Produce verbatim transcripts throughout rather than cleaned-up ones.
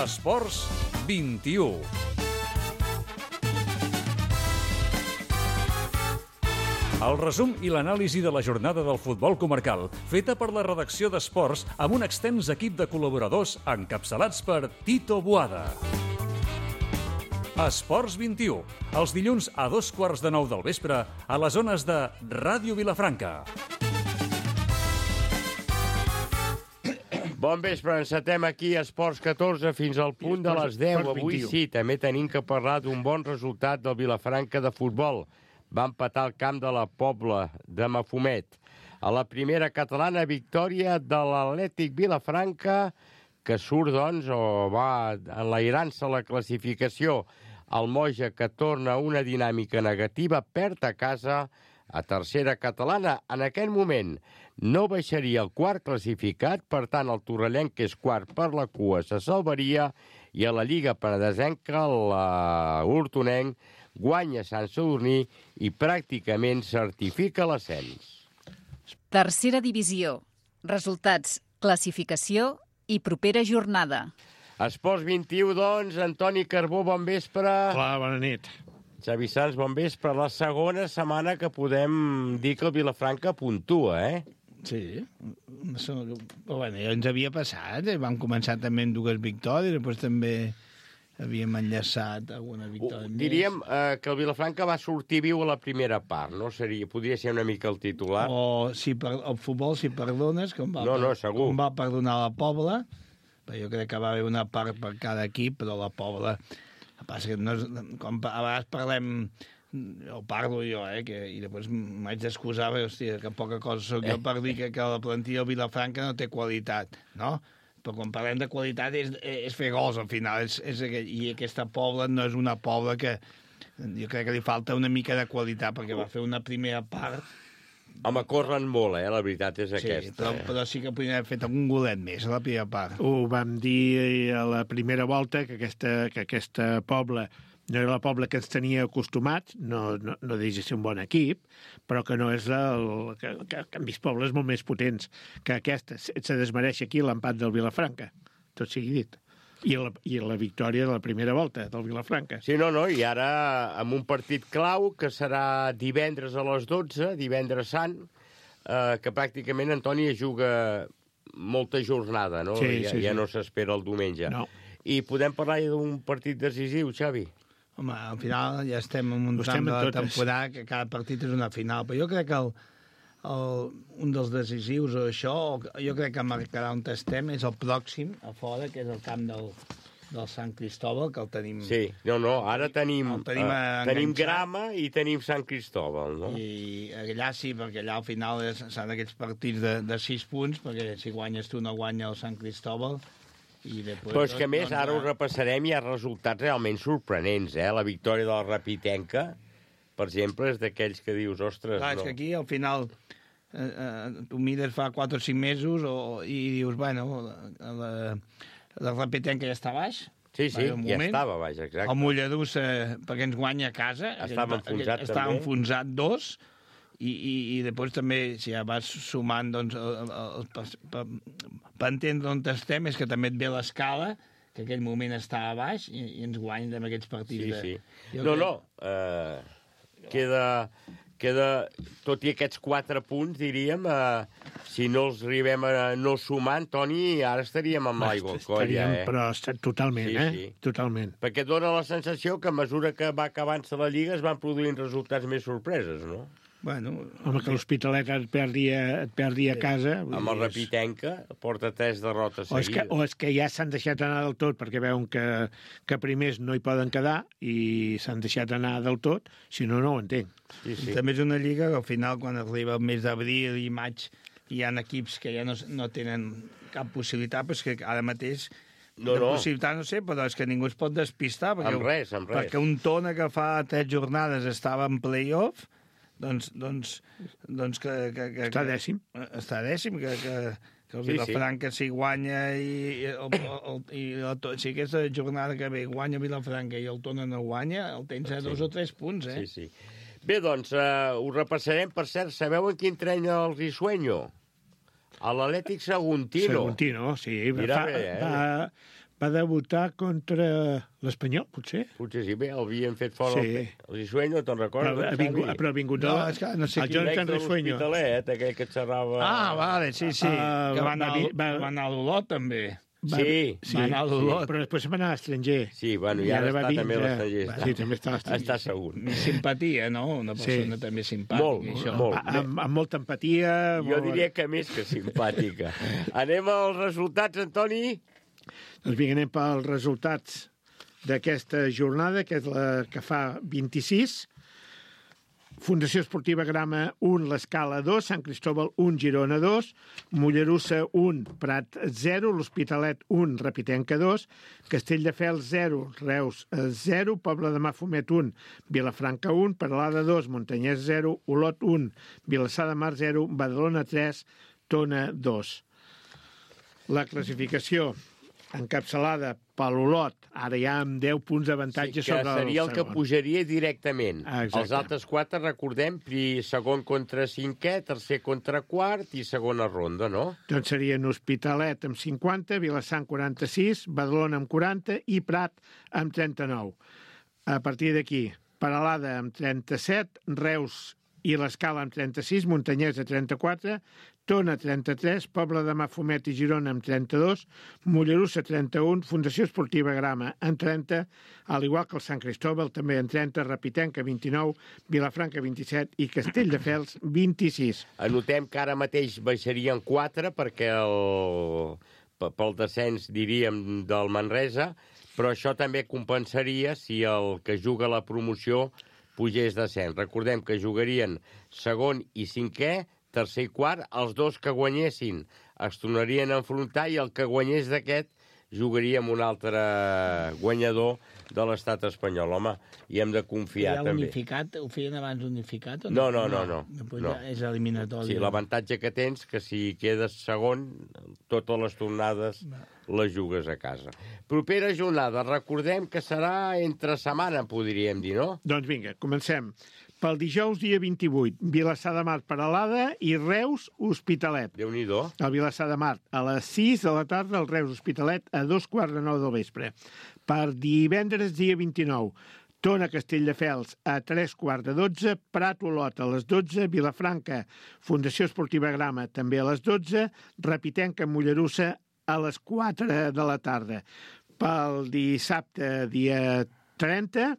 Esports vint-i-u. El resum i l'anàlisi de la jornada del futbol comarcal, feta per la redacció d'Esports amb un extens equip de col·laboradors encapçalats per Tito Boada. Esports vint-i-u, els dilluns a dos quarts de nou del vespre a les zones de Ràdio Vilafranca. Bon vespre, encetem aquí a Esports catorze fins al punt de les deu. Avui sí, també tenim que parlar d'un bon resultat del Vilafranca de futbol. Va empatar el camp de la Pobla de Mafumet. A la primera catalana, victòria de l'Atlètic Vilafranca, que surt, doncs, o va enlairant-se la classificació. El Moja, que torna una dinàmica negativa, perd a casa a tercera catalana. En aquest moment no baixaria el quart classificat, per tant, el torrellenc, que és quart per la cua, se salvaria, i a la Lliga Penedesenca, l'Hortonenc guanya Sant Sadurní i pràcticament certifica l'ascens. Tercera divisió. Resultats, classificació i propera jornada. Esports vint-i-u, doncs, Antoni Carbó, bon vespre. Hola, bona nit. Xavi Sans, bon vespre. La segona setmana que podem dir que el Vilafranca puntua, eh? Sí. Però, bueno, ja ens havia passat. Eh? Vam començar també amb dues victòries, després també havíem enllaçat alguna victòria més. Diríem eh, que el Vilafranca va sortir viu a la primera part, no? Seria, podria ser una mica el titular. O si per, el futbol, si perdones, com va, no, no, segur. com va perdonar la Pobla, però jo crec que va haver una part per cada equip, però la Pobla... El que passa que no és, com a vegades parlem, o parlo jo, eh, que, i després m'haig d'excusar, hòstia, que poca cosa soc jo per dir que, que la plantilla del Vilafranca no té qualitat, no? Però quan parlem de qualitat és, és fer gols, al final. És, és, I aquesta Pobla no és una Pobla que... Jo crec que li falta una mica de qualitat, perquè va fer una primera part... Home, corren molt, eh? La veritat és aquesta. Sí, però, eh? però sí que podria haver fet algun golet més a la primera part. Ho vam dir a la primera volta, que aquesta, que aquesta Pobla no era la Pobla que ens tenia acostumats, no, no, no deixa de ser un bon equip, però que no és el... que, que, que han vist pobles molt més potents que aquesta. Se desmereix aquí l'empat del Vilafranca, tot sigui dit. I la, I la victòria de la primera volta del Vilafranca. Sí, no, no, i ara amb un partit clau que serà divendres a les dotze, divendres sant, eh, que pràcticament Antoni juga molta jornada, no? Sí, ja, sí, ja sí. no s'espera el diumenge. No. I podem parlar d'un partit decisiu, Xavi? Home, al final ja estem en un tram de la temporada que cada partit és una final, però jo crec que el, el, un dels decisius o això, jo crec que marcarà on estem, és el pròxim, a fora, que és el camp del, del Sant Cristóbal, que el tenim... Sí, no, no, ara tenim, tenim, uh, tenim grama i tenim Sant Cristóbal, no? I allà sí, perquè allà al final s'han aquests partits de, de sis punts, perquè si guanyes tu no guanya el Sant Cristóbal. I després, però és que, a més, doncs, ara ho repassarem, hi ha resultats realment sorprenents, eh? La victòria de la Rapitenca, per exemple, és d'aquells que dius, ostres, clar, no. És que aquí, al final, eh, eh, tu mires fa quatre o cinc mesos o, i dius, bueno, la, la Rapitenca ja està baix. Sí, sí, ja moment. Estava baix, exacte. El Mollerussa, perquè ens guanya a casa. Estava enfonsat, estava també. enfonsat dos. I, i, i després també, si ja vas sumant, doncs, el, el, per, per, per entendre on estem, és que també et ve l'escala, que en aquell moment estava a baix, i, i ens guanyen amb aquests partits. Sí, de... sí. Jo no, crec... no, uh, queda, queda, tot i aquests quatre punts, diríem, uh, si no els arribem a no sumar, Toni, ara estaríem amb l'aigua al coll, ja, eh? Però totalment, sí, eh? Sí. Totalment. Perquè dona la sensació que a mesura que va acabant-se la Lliga es van produint resultats més sorpreses, no? Bueno, home, que l'Hospitalet et perdi a, et perdi a casa... Amb el Rapitenca porta tres derrotes o és que, seguides. o és que ja s'han deixat anar del tot perquè veuen que, que primers no hi poden quedar i s'han deixat anar del tot, si no, no ho entenc. Sí, sí. També és una lliga que al final, quan arriba el mes d'abril i maig, hi ha equips que ja no, no tenen cap possibilitat, però és que ara mateix... No, de no. possibilitat no sé, però és que ningú es pot despistar. Perquè, amb res, amb res. Perquè un Tona que fa tres jornades estava en play-off, doncs, doncs, doncs que, que, que... Està dècim. Que, està dècim, que, que, que el Sí, Vilafranca s'hi guanya i, i, el, el, i el, si aquesta jornada que ve guanya Vilafranca i el Tona no guanya, el tens a dos Sí. o tres punts, eh? Sí, sí. Bé, doncs, uh, ho repassarem. Per cert, sabeu en quin tren el Risueño? A l'Atlètic Saguntino. Saguntino, sí. Mira fa, bé, eh? va, Va debutar contra l'Espanyol, potser? Potser sí, bé, el havien fet fora Sí. el, el Risueño, te'n recordes? Però ha vingut, però ha vingut No, de- és que no sé el qui. Jonathan L'ex de Risueño. l'Hospitalet, aquell que xerrava... Ah, vale, sí, sí. Ah, que va anar, va- va, va- va anar a l'Olot, també. Va- Sí, sí, va anar a l'Olot. però després se'n va anar a l'estranger. Sí, bueno, i ara va està també a vindre- l'estranger. Sí, també està a l'estranger. Està segur. Més simpatia, no? Una persona Sí. també simpàtica. Molt, i això. molt. Amb, amb molta empatia. Jo molt... diria que més que simpàtica. Anem als resultats, Antoni? Doncs vinga, anem pels resultats d'aquesta jornada, que és la que fa vint-i-sis. Fundació Esportiva Grama un, l'Escala dos, Sant Cristóbal un, Girona dos, Mollerussa un, Prat zero, l'Hospitalet un, Repitenca dos, Castelldefels zero, Reus zero, Pobla de Mafumet un, Vilafranca un, Peralada dos, Montanyès zero, Olot un, Vilassar de Mar zero, Badalona tres, Tona dos. La classificació encapçalada per l'Olot, ara ja amb deu punts d'avantatge Sí, que sobre el seria el que segon. pujaria directament. Ah, exacte. Els altres quatre, recordem, pri- segon contra cinquè, tercer contra quart i segona ronda, no? Doncs serien Hospitalet amb cinquanta, Vilassar amb quaranta-sis, Badalona amb quaranta i Prat amb trenta-nou. A partir d'aquí, Peralada amb trenta-set, Reus i l'Escala amb trenta-sis, Montanyès a trenta-quatre, Tona trenta-tres, Pobla de Mafumet i Girona amb trenta-dos, Mollerussa trenta-un, Fundació Esportiva Grama en trenta, al igual que el Sant Cristóbal també en trenta, Repitenca vint-i-nou, Vilafranca vint-i-set i Castelldefels vint-i-sis. Anotem que ara mateix baixarien quatre perquè el, pe- pel descens, diríem, del Manresa, però això també compensaria si el que juga la promoció pugés descens. Recordem que jugarien segon i cinquè, tercer i quart, els dos que guanyessin es tornarien a enfrontar i el que guanyés d'aquest jugaria amb un altre guanyador de l'estat espanyol. Home, hi hem de confiar, Ja també. unificat, ho feien abans unificat? O No, no, no, no. Després no. ja és eliminatori. Sí, l'avantatge que tens que si quedes segon, totes les tornades les jugues a casa. Propera jornada, recordem que serà entre setmana, podríem dir, no? Doncs vinga, comencem. Pel dijous, dia vint-i-vuit, Vilassar de Mar, Peralada i Reus, Hospitalet. Déu-n'hi-do. El Vilassar de Mar a les sis de la tarda, el Reus Hospitalet a dos quarts de nou del vespre. Per divendres, dia vint-i-nou, Tona Castelldefels a tres quarts de dotze, Prat Olot a les dotze, Vilafranca, Fundació Esportiva Grama també a les dotze, Repitenca Mollerussa a les quatre de la tarda. Pel dissabte, dia trenta,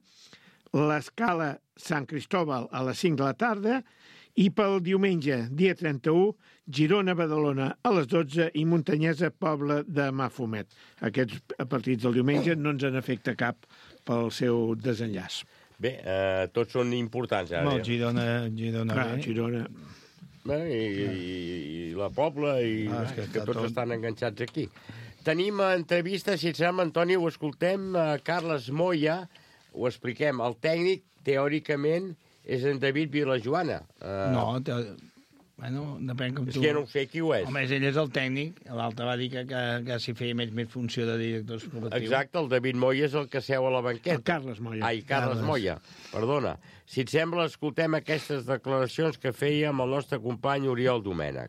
l'Escala Sant Cristóbal a les cinc de la tarda i pel diumenge, dia trenta-u, Girona-Badalona a les dotze i Montanyesa Pobla de Mafumet. Aquests partits del diumenge no ens en afecta cap pel seu desenllaç. Bé, eh, tots són importants, ara. Molt, Girona, Girona Clar, bé. Girona... Bé, i, i, i la Pobla, i Ah, ah, és que que, que està tots tot. estan enganxats aquí. Tenim entrevista, si et sembla, Antoni, ho escoltem, a Carles Moya, ho expliquem. El tècnic, teòricament, és en David Vilajoana. Uh, No, te... bueno, depèn com És tu... que ja no ho sé qui ho és. Home, ell és el tècnic, l'altre va dir que, que, que s'hi feia més, més funció de director esportiu. Exacte, el David Moya és el que seu a la banqueta. El Carles Moya. Ai, Carles, Carles. Moya, perdona. Si et sembla, escoltem aquestes declaracions que feia amb el nostre company Oriol Domènech.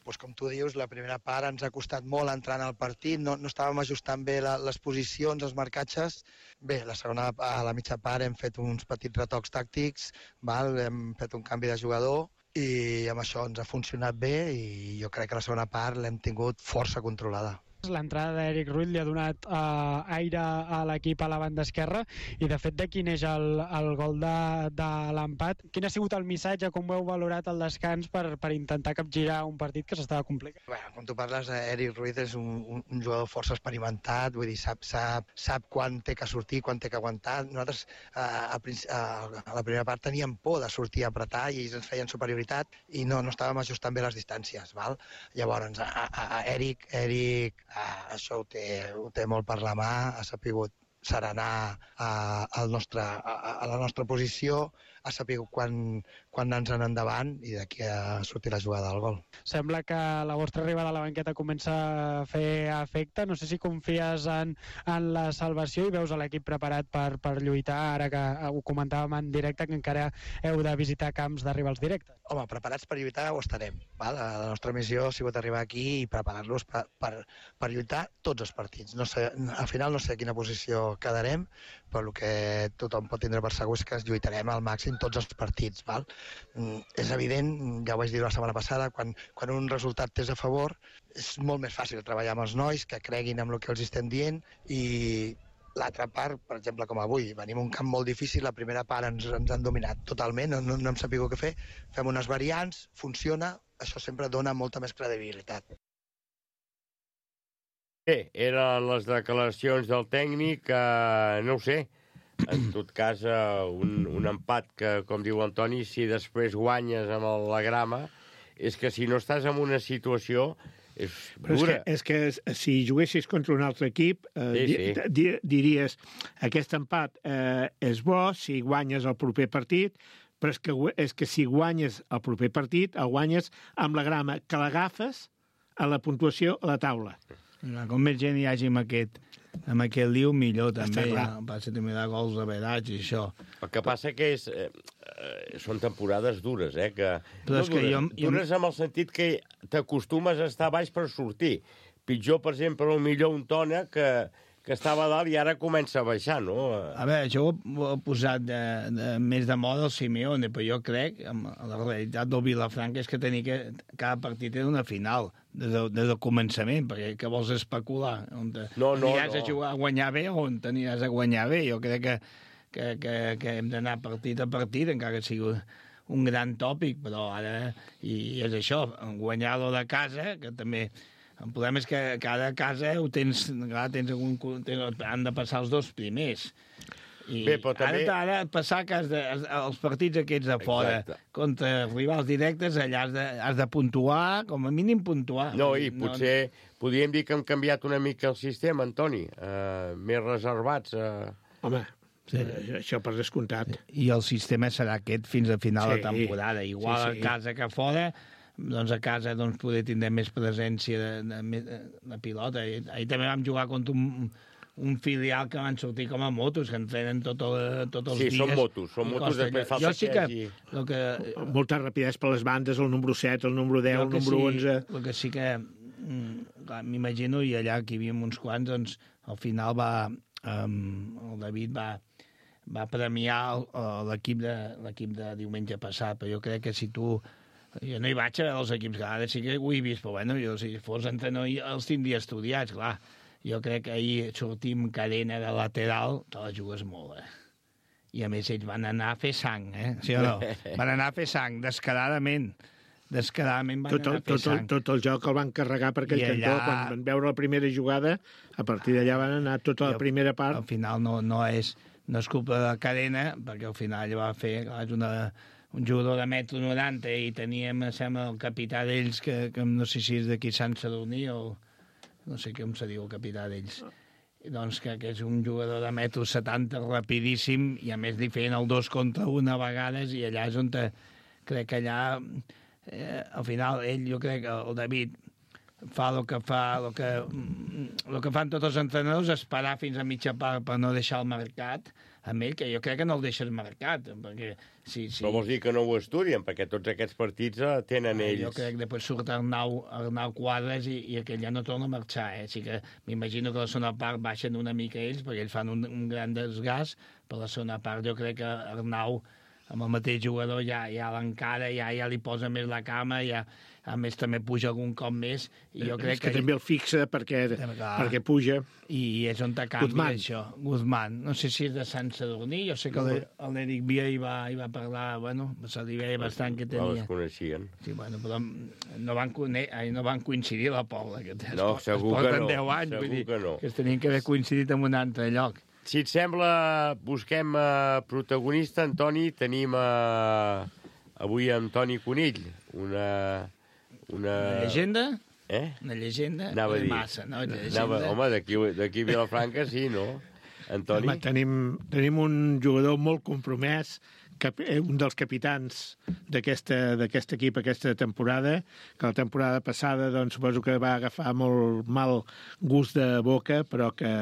Pues com tu dius, la primera part ens ha costat molt entrar en el partit, no, no estàvem ajustant bé la, les posicions, els marcatges. Bé, la segona, a la mitja part hem fet uns petits retocs tàctics, val? Hem fet un canvi de jugador i amb això ens ha funcionat bé i jo crec que la segona part l'hem tingut força controlada. L'entrada d'Eric Ruiz li ha donat eh, aire a l'equip a la banda esquerra i de fet d'aquí neix el, el gol de, de l'empat. Quin ha sigut el missatge, com ho heu valorat el descans per, per intentar capgirar un partit que s'estava complicat? Bueno, quan tu parles, Eric Ruiz és un, un, un jugador força experimentat, vull dir, sap, sap, sap quan té que sortir, quan té que aguantar. Nosaltres eh, a, a, a la primera part teníem por de sortir a apretar i ells ens feien superioritat i no, no estàvem ajustant bé les distàncies. Val? Llavors, a, a, a Eric, Eric Uh, això ho té, ho té molt per la mà, ha sapigut serenar uh, el nostre, a, a la nostra posició, a saber quan, quan ens en endavant i d'aquí a sortir la jugada del gol. Sembla que la vostra arribada a la banqueta comença a fer efecte. No sé si confies en, en la salvació i veus a l'equip preparat per, per lluitar, ara que ho comentàvem en directe, que encara heu de visitar camps de rivals directes. Home, preparats per lluitar ho estarem. Val? La nostra missió ha sigut arribar aquí i preparar-los per, per, per lluitar tots els partits. No sé, al final no sé a quina posició quedarem, però el que tothom pot tindre per segur és que lluitarem al màxim tots els partits. Val? Mm, és evident, ja ho vaig dir la setmana passada, quan, quan un resultat t'és a favor, és molt més fàcil treballar amb els nois, que creguin en el que els estem dient, i l'altra part, per exemple, com avui, venim un camp molt difícil, la primera part ens, ens han dominat totalment, no, no, no hem sabut què fer, fem unes variants, funciona, això sempre dona molta més credibilitat. Bé, eren les declaracions del tècnic, eh, no ho sé, en tot cas, eh, un, un empat que, com diu Antoni, si després guanyes amb el, la grama, és que si no estàs en una situació és Però dura. és que, és que si juguessis contra un altre equip, eh, Sí, di, sí. di, diries aquest empat eh, és bo si guanyes el proper partit, però és que, és que si guanyes el proper partit, el guanyes amb la grama, que l'agafes a la puntuació a la taula. Com més gent hi hagi amb aquest, amb aquest liu, millor també. Està clar. Ja, passa també de gols de verats i això. El que passa que és, eh, eh, són temporades dures, eh? Que, Però és que dures, jo- jo- dures amb el sentit que t'acostumes a estar baix per sortir. Pitjor, per exemple, o millor un Tona que, que estava a dalt i ara comença a baixar, no? A veure, això ho, ho ha posat de, de, més de moda el Simeone, però jo crec, amb la realitat del Vilafranca, és que tenia que cada partit era una final, des, de, des del començament, perquè què vols especular? On te, No, no, aniràs no. a jugar a guanyar bé o on t'aniràs a guanyar bé? Jo crec que, que, que, que hem d'anar partit a partit, encara que sigui un gran tòpic, però ara, i, i és això, guanyar-lo de casa, que també... El problema és que cada casa ho tens, clar, tens algun, tens, han de passar els dos primers. I Bé, però també- ara, ara passar que has de, els partits aquests de fora Exacte. contra rivals directes, allà has de, has de puntuar, com a mínim puntuar. No, i potser podríem dir que hem canviat una mica el sistema, Antoni. Uh, més reservats. Uh... Home, sí. Això per descomptat. I el sistema serà aquest fins a final Sí, de temporada. Igual sí, sí. a casa que a fora, doncs a casa doncs, poder tindre més presència de, de, de, de pilota. I, ahir també vam jugar contra un, un filial que van sortir com a motos, que entrenen tot el, tots els Sí, dies. són motos, són i motos, costa després allò. falta Jo sí que que... hagi- El que Molta rapidesa per les bandes, el número set, el número deu, jo el que número sí, onze... El que sí que mm, clar, m'imagino, i allà que hi havia uns quants, doncs al final va, um, el David va, va premiar el- el- l'equip de, l'equip de diumenge passat, però jo crec que si tu... Jo no hi vaig a veure els equips, clar, ara sí que ho he vist, però bueno, jo si fos entrenador jo els tindria estudiats, clar. Jo crec que ahir sortim cadena de lateral, te la jugues molt, eh? I a més ells van anar a fer sang, eh? Sí o no? Van anar a fer sang, descaradament. Descaradament van Tot el, anar a fer tot, el, sang. tot el joc el van carregar per aquell I allà- cantó. Quan van veure la primera jugada, a partir d'allà van anar tota la I al- primera Al part. final no, no, és, no és culpa de la cadena, perquè al final ell va fer... Clar, és una, un jugador de metro noranta i teníem, em sembla, el capità d'ells, que, que no sé si és d'aquí Sant Sadurní o... No sé com se diu el capità d'ells. I doncs que, que és un jugador de metro setanta rapidíssim i a més li feien el dos contra un a vegades i allà és on te, crec que allà eh, al final ell, jo crec que el David fa el que fa el que, el que fan tots els entrenadors, esperar fins a mitja part per no deixar el mercat amb ell, que jo crec que no el deixes marcat, perquè si... si... Però vols dir que no ho estudien, perquè tots aquests partits eh, tenen ells... Jo crec que després surt Arnau, Arnau Quadres i, i aquell ja no torna a marxar, eh? Així que m'imagino que la segona part baixen una mica ells, perquè ells fan un, un gran desgast, però la segona part jo crec que Arnau, amb el mateix jugador, ja, ja l'encara, ja, ja li posa més la cama, ja, a més també puja algun cop més, i jo crec És que, que també el fixa perquè, Clar. perquè puja. I és on te canvia Guzmán. això. Guzmán. No sé si és de Sant Sadurní, jo sé que l'E- l'Eric Via hi va, hi va parlar, bueno, se li veia bastant que No tenia. les coneixien. Sí, bueno, però no van, cone... Ai, no van coincidir a la Pobla. Que es, No, es segur que porten no, deu anys, segur vull dir, que no. que es tenien que haver coincidit en un altre lloc. Si et sembla, busquem uh, protagonista, Antoni. Tenim uh, avui Antoni Conill, una... Una, Una llegenda? Eh? Una llegenda? Anava a dir. Massa, no? Una Anava, llegenda. home, d'aquí d'aquí a Vilafranca sí, no? Antoni? Home, tenim, tenim un jugador molt compromès cap, un dels capitans d'aquest equip aquesta temporada, que la temporada passada doncs, suposo que va agafar molt mal gust de boca, però que,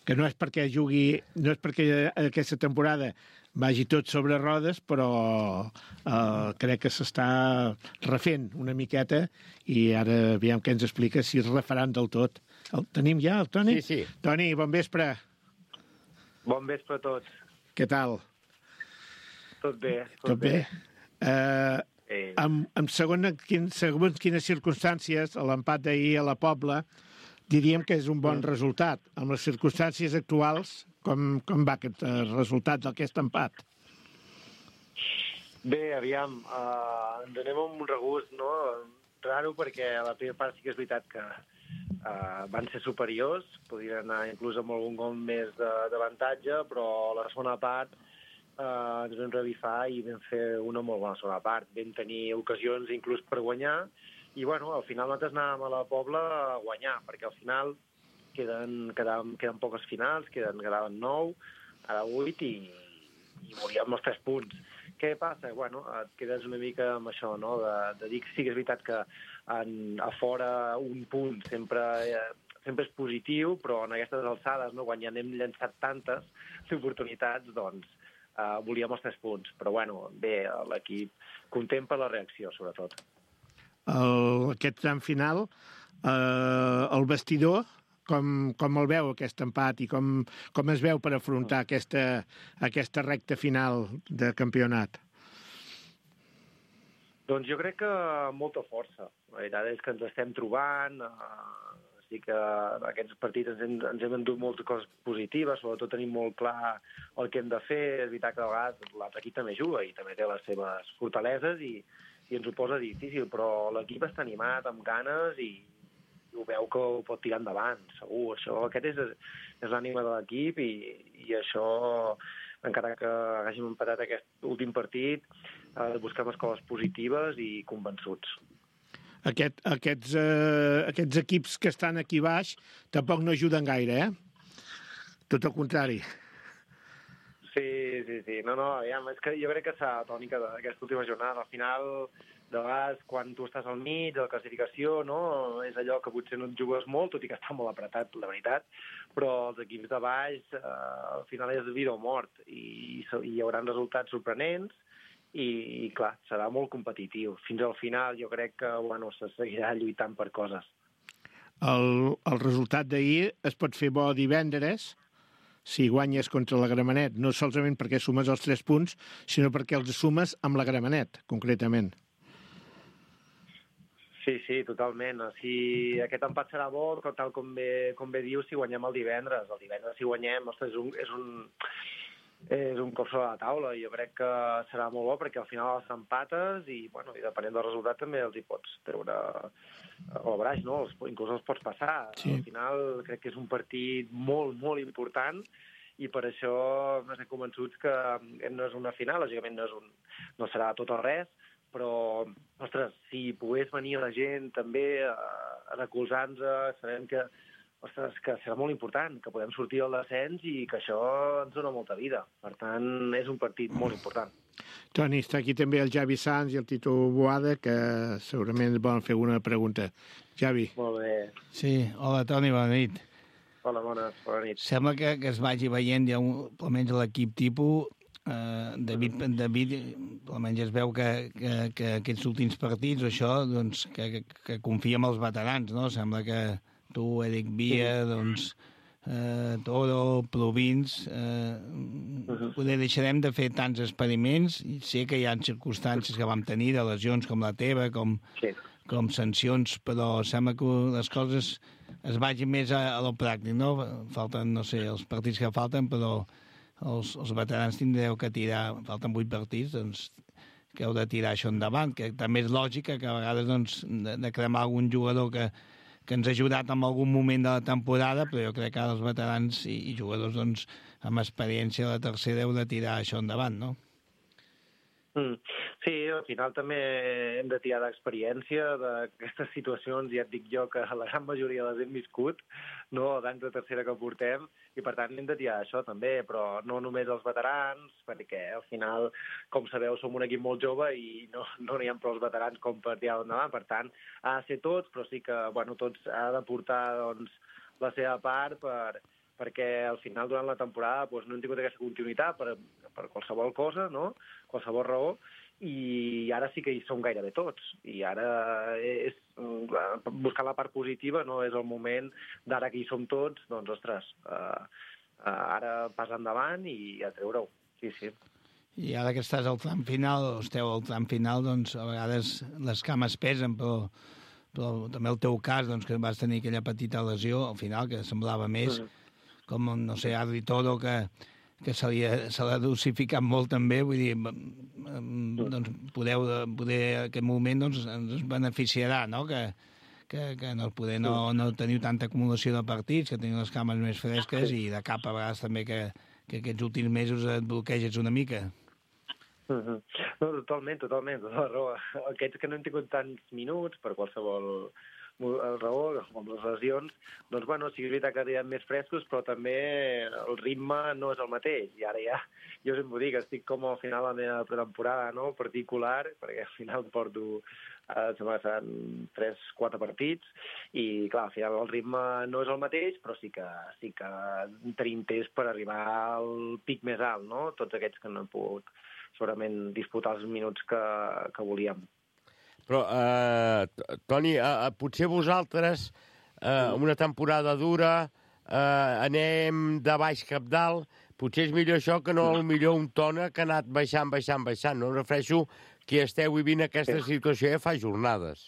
que no és perquè jugui, no és perquè aquesta temporada vagi tot sobre rodes, però eh, crec que s'està refent una miqueta i ara aviam què ens explica si es refaran del tot. El tenim ja, el Toni? Sí, sí. Toni, bon vespre. Bon vespre a tots. Què tal? Tot bé. Tot, tot bé? bé. Eh, eh. Amb, amb segons, quin, segons quines circumstàncies, l'empat d'ahir a la Pobla, diríem que és un bon resultat. Amb les circumstàncies actuals, com, com va aquest eh, resultat d'aquest empat? Bé, aviam, uh, ens anem amb un regust, no? Raro, perquè a la primera part sí que és veritat que uh, van ser superiors, podrien anar inclús amb algun gol més d'avantatge, però a la segona part uh, ens vam revifar i vam fer una molt bona segona part. Vam tenir ocasions inclús per guanyar, i bueno, al final nosaltres anàvem a la Pobla a guanyar, perquè al final queden, quedaven, queden poques finals, queden, quedaven nou, ara vuit, i, i volíem els tres punts. Què passa? Bueno, et quedes una mica amb això, no?, de, de dir que sí que és veritat que en, a fora un punt sempre, eh, sempre és positiu, però en aquestes alçades, no?, quan ja n'hem llançat tantes oportunitats, doncs eh, volíem els tres punts. Però bueno, bé, l'equip content per la reacció, sobretot. El, aquest tram final, eh, el vestidor, com, com el veu aquest empat i com, com es veu per afrontar aquesta, aquesta recta final de campionat? Doncs jo crec que molta força. La veritat és que ens estem trobant, eh, sí que en aquests partits ens hem, ens hem endut moltes coses positives, sobretot tenim molt clar el que hem de fer. És veritat que a vegades l'altre equip també juga i també té les seves fortaleses i, i ens ho posa difícil, però l'equip està animat, amb ganes, i ho veu que ho pot tirar endavant, segur. Això, aquest és, és l'ànima de l'equip, i, i això, encara que hàgim empatat aquest últim partit, eh, busquem les coses positives i convençuts. Aquest, aquests, eh, aquests equips que estan aquí baix tampoc no ajuden gaire, eh? Tot el contrari. Sí, sí, sí. No, no, aviam, és que jo crec que és la tònica d'aquesta última jornada. Al final, de vegades, quan tu estàs al mig de la classificació, no?, és allò que potser no et jugues molt, tot i que està molt apretat, la veritat, però els equips de baix, eh, al final és vida o mort, i, i hi haurà resultats sorprenents, i, i clar, serà molt competitiu. Fins al final jo crec que, bueno, se seguirà lluitant per coses. El, el resultat d'ahir es pot fer bo divendres, si guanyes contra la Gramenet, no solament perquè sumes els tres punts, sinó perquè els sumes amb la Gramenet, concretament. Sí, sí, totalment. Si aquest empat serà bo, tal com bé, com bé dius, si guanyem el divendres. El divendres, si guanyem, ostres, és un, és un, és un cop sobre la taula, i jo crec que serà molt bo, perquè al final els empates i, bueno, i depenent del resultat també els hi pots treure el braç, no? Els, inclús els pots passar. Sí. Al final crec que és un partit molt, molt important, i per això estem convençuts que no és una final, lògicament no, és un, no serà tot o res, però, ostres, si pogués venir la gent també a, a recolzar-nos, sabem que, ostres, que serà molt important, que podem sortir al descens i que això ens dona molta vida. Per tant, és un partit molt important. Toni, està aquí també el Javi Sanz i el Tito Boada, que segurament ens volen fer una pregunta. Javi. Molt bé. Sí, hola, Toni, bona nit. Hola, bona, bona nit. Sembla que, que es vagi veient ja un, almenys l'equip tipus. Uh, David, David, almenys es veu que, que, que aquests últims partits, això, doncs, que, que, que confia en els veterans, no? Sembla que tu, Eric Via, doncs, uh, Toro, Provins, uh, uh-huh. poder deixarem de fer tants experiments, i sé que hi ha circumstàncies que vam tenir, de lesions com la teva, com, sí. com sancions, però sembla que les coses es vagin més a, a lo pràctic, no? Falten, no sé, els partits que falten, però els, els veterans tindreu que tirar, falten vuit partits, doncs que heu de tirar això endavant, que també és lògica que a vegades doncs, de, de cremar algun jugador que, que ens ha ajudat en algun moment de la temporada, però jo crec que els veterans i, i jugadors doncs, amb experiència a la tercera heu de tirar això endavant, no? Mm. Sí, al final també hem de tirar d'experiència d'aquestes situacions, ja et dic jo que la gran majoria les hem viscut, no, d'anys de tercera que portem, i per tant hem de tirar això també, però no només els veterans, perquè al final, com sabeu, som un equip molt jove i no, no n'hi ha prou els veterans com per tirar endavant, per tant, ha de ser tots, però sí que, bueno, tots ha de portar, doncs, la seva part per... perquè al final, durant la temporada, doncs, no hem tingut aquesta continuïtat per, per qualsevol cosa, no? Qualsevol raó, i ara sí que hi som gairebé tots. I ara és buscar la part positiva, no és el moment d'ara que hi som tots, doncs, ostres, uh, uh, ara pas endavant i a treure-ho. Sí, sí. I ara que estàs al tram final, o esteu al tram final, doncs a vegades les cames pesen, però, però també el teu cas, doncs, que vas tenir aquella petita lesió al final, que semblava més... Mm. com, no sé, Adri Toro, que, que se l'ha dosificat molt també, vull dir, doncs podeu, poder aquest moment doncs, ens beneficiarà, no?, que, que, que no, poder no, no teniu tanta acumulació de partits, que teniu les cames més fresques i de cap a vegades també que, que aquests últims mesos et bloqueges una mica. Uh-huh. No, totalment, totalment, tota la raó. Aquests que no hem tingut tants minuts per qualsevol raó, com les lesions, doncs, bueno, sí que és veritat que arriben més frescos, però també el ritme no és el mateix. I ara ja, jo sempre dic, estic com al final de la meva pretemporada, no?, particular, perquè al final porto, eh, sembla que seran tres quatre partits, i clar, al final el ritme no és el mateix, però sí que, sí que tenim temps per arribar al pic més alt, no?, tots aquests que no hem pogut segurament disputar els minuts que, que volíem. Però, eh, Toni, eh, potser vosaltres, eh, una temporada dura, eh, anem de baix cap dalt, potser és millor això que no millor un Tona que ha anat baixant, baixant, baixant. No em refereixo que esteu vivint aquesta situació ja fa jornades.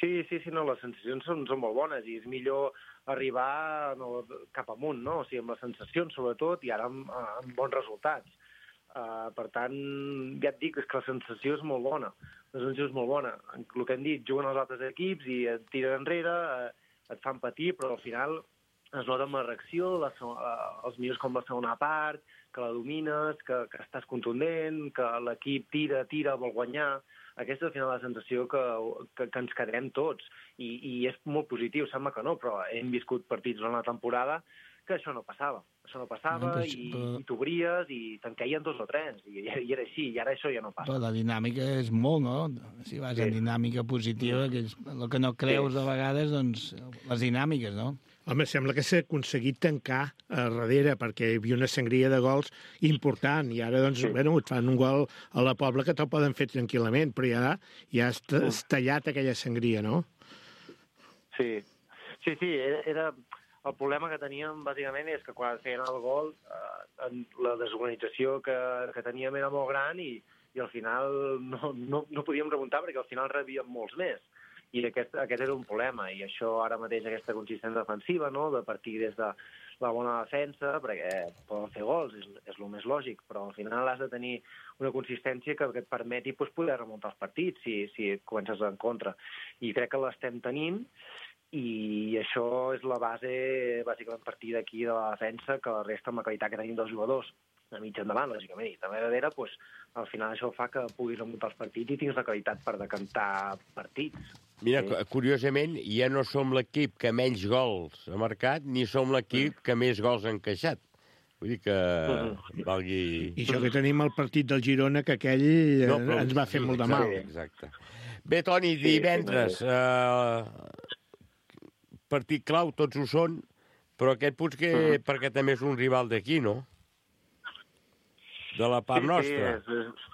Sí, sí, sí, no, les sensacions són, són molt bones i és millor arribar no, cap amunt, no? O sigui, amb les sensacions, sobretot, i ara amb, amb bons resultats. Uh, per tant, ja et dic, és que la sensació és molt bona. La sensació és molt bona. El que hem dit, juguen els altres equips i et tiren enrere, uh, et fan patir, però al final es nota amb la reacció, la, uh, els millors com la segona part, que la domines, que, que estàs contundent, que l'equip tira, tira, vol guanyar. Aquesta és al final la sensació que, que, que ens quedarem tots. I, I és molt positiu, sembla que no, però hem viscut partits durant la temporada que això no passava. Això no passava no, però, i, però... i t'obries i te'n queien dos o tres. I, I era així, i ara això ja no passa. Però la dinàmica és molt, no? Si vas sí. en dinàmica positiva, que és el que no creus sí. de vegades, doncs, les dinàmiques, no? Home, sembla que s'ha aconseguit tancar a darrere, perquè hi havia una sangria de gols important, i ara, doncs, sí. bueno, et fan un gol a la Pobla que te'l poden fer tranquil·lament, però ja, ja has, has tallat aquella sangria, no? Sí, sí, sí, era... era... El problema que teníem, bàsicament, és que quan feien el gol, eh, la desorganització que, que teníem era molt gran i, i al final no, no, no podíem remuntar perquè al final rebíem molts més. I aquest, aquest era un problema. I això ara mateix, aquesta consistència defensiva, no?, de partir des de la bona defensa, perquè poden fer gols, és, és el més lògic, però al final has de tenir una consistència que, que et permeti pues, poder remuntar els partits si, si comences en contra. I crec que l'estem tenint, i això és la base, bàsicament, partir d'aquí de la defensa, que la resta amb la qualitat que tenim dels jugadors, a mig endavant, lògicament, i també darrere, doncs, al final això fa que puguis remuntar els partits i tinguis la qualitat per decantar partits. Mira, sí. Curiosament, ja no som l'equip que menys gols ha marcat, ni som l'equip que més gols ha encaixat. Vull dir que uh-huh. valgui... I això que tenim el partit del Girona, que aquell no, però... ens va fer sí, molt de mal. Exacte. Bé, Toni, divendres... Sí, uh... partit clau, tots ho són, però aquest potser uh-huh. perquè també és un rival d'aquí, no? De la part sí, nostra. Sí, és,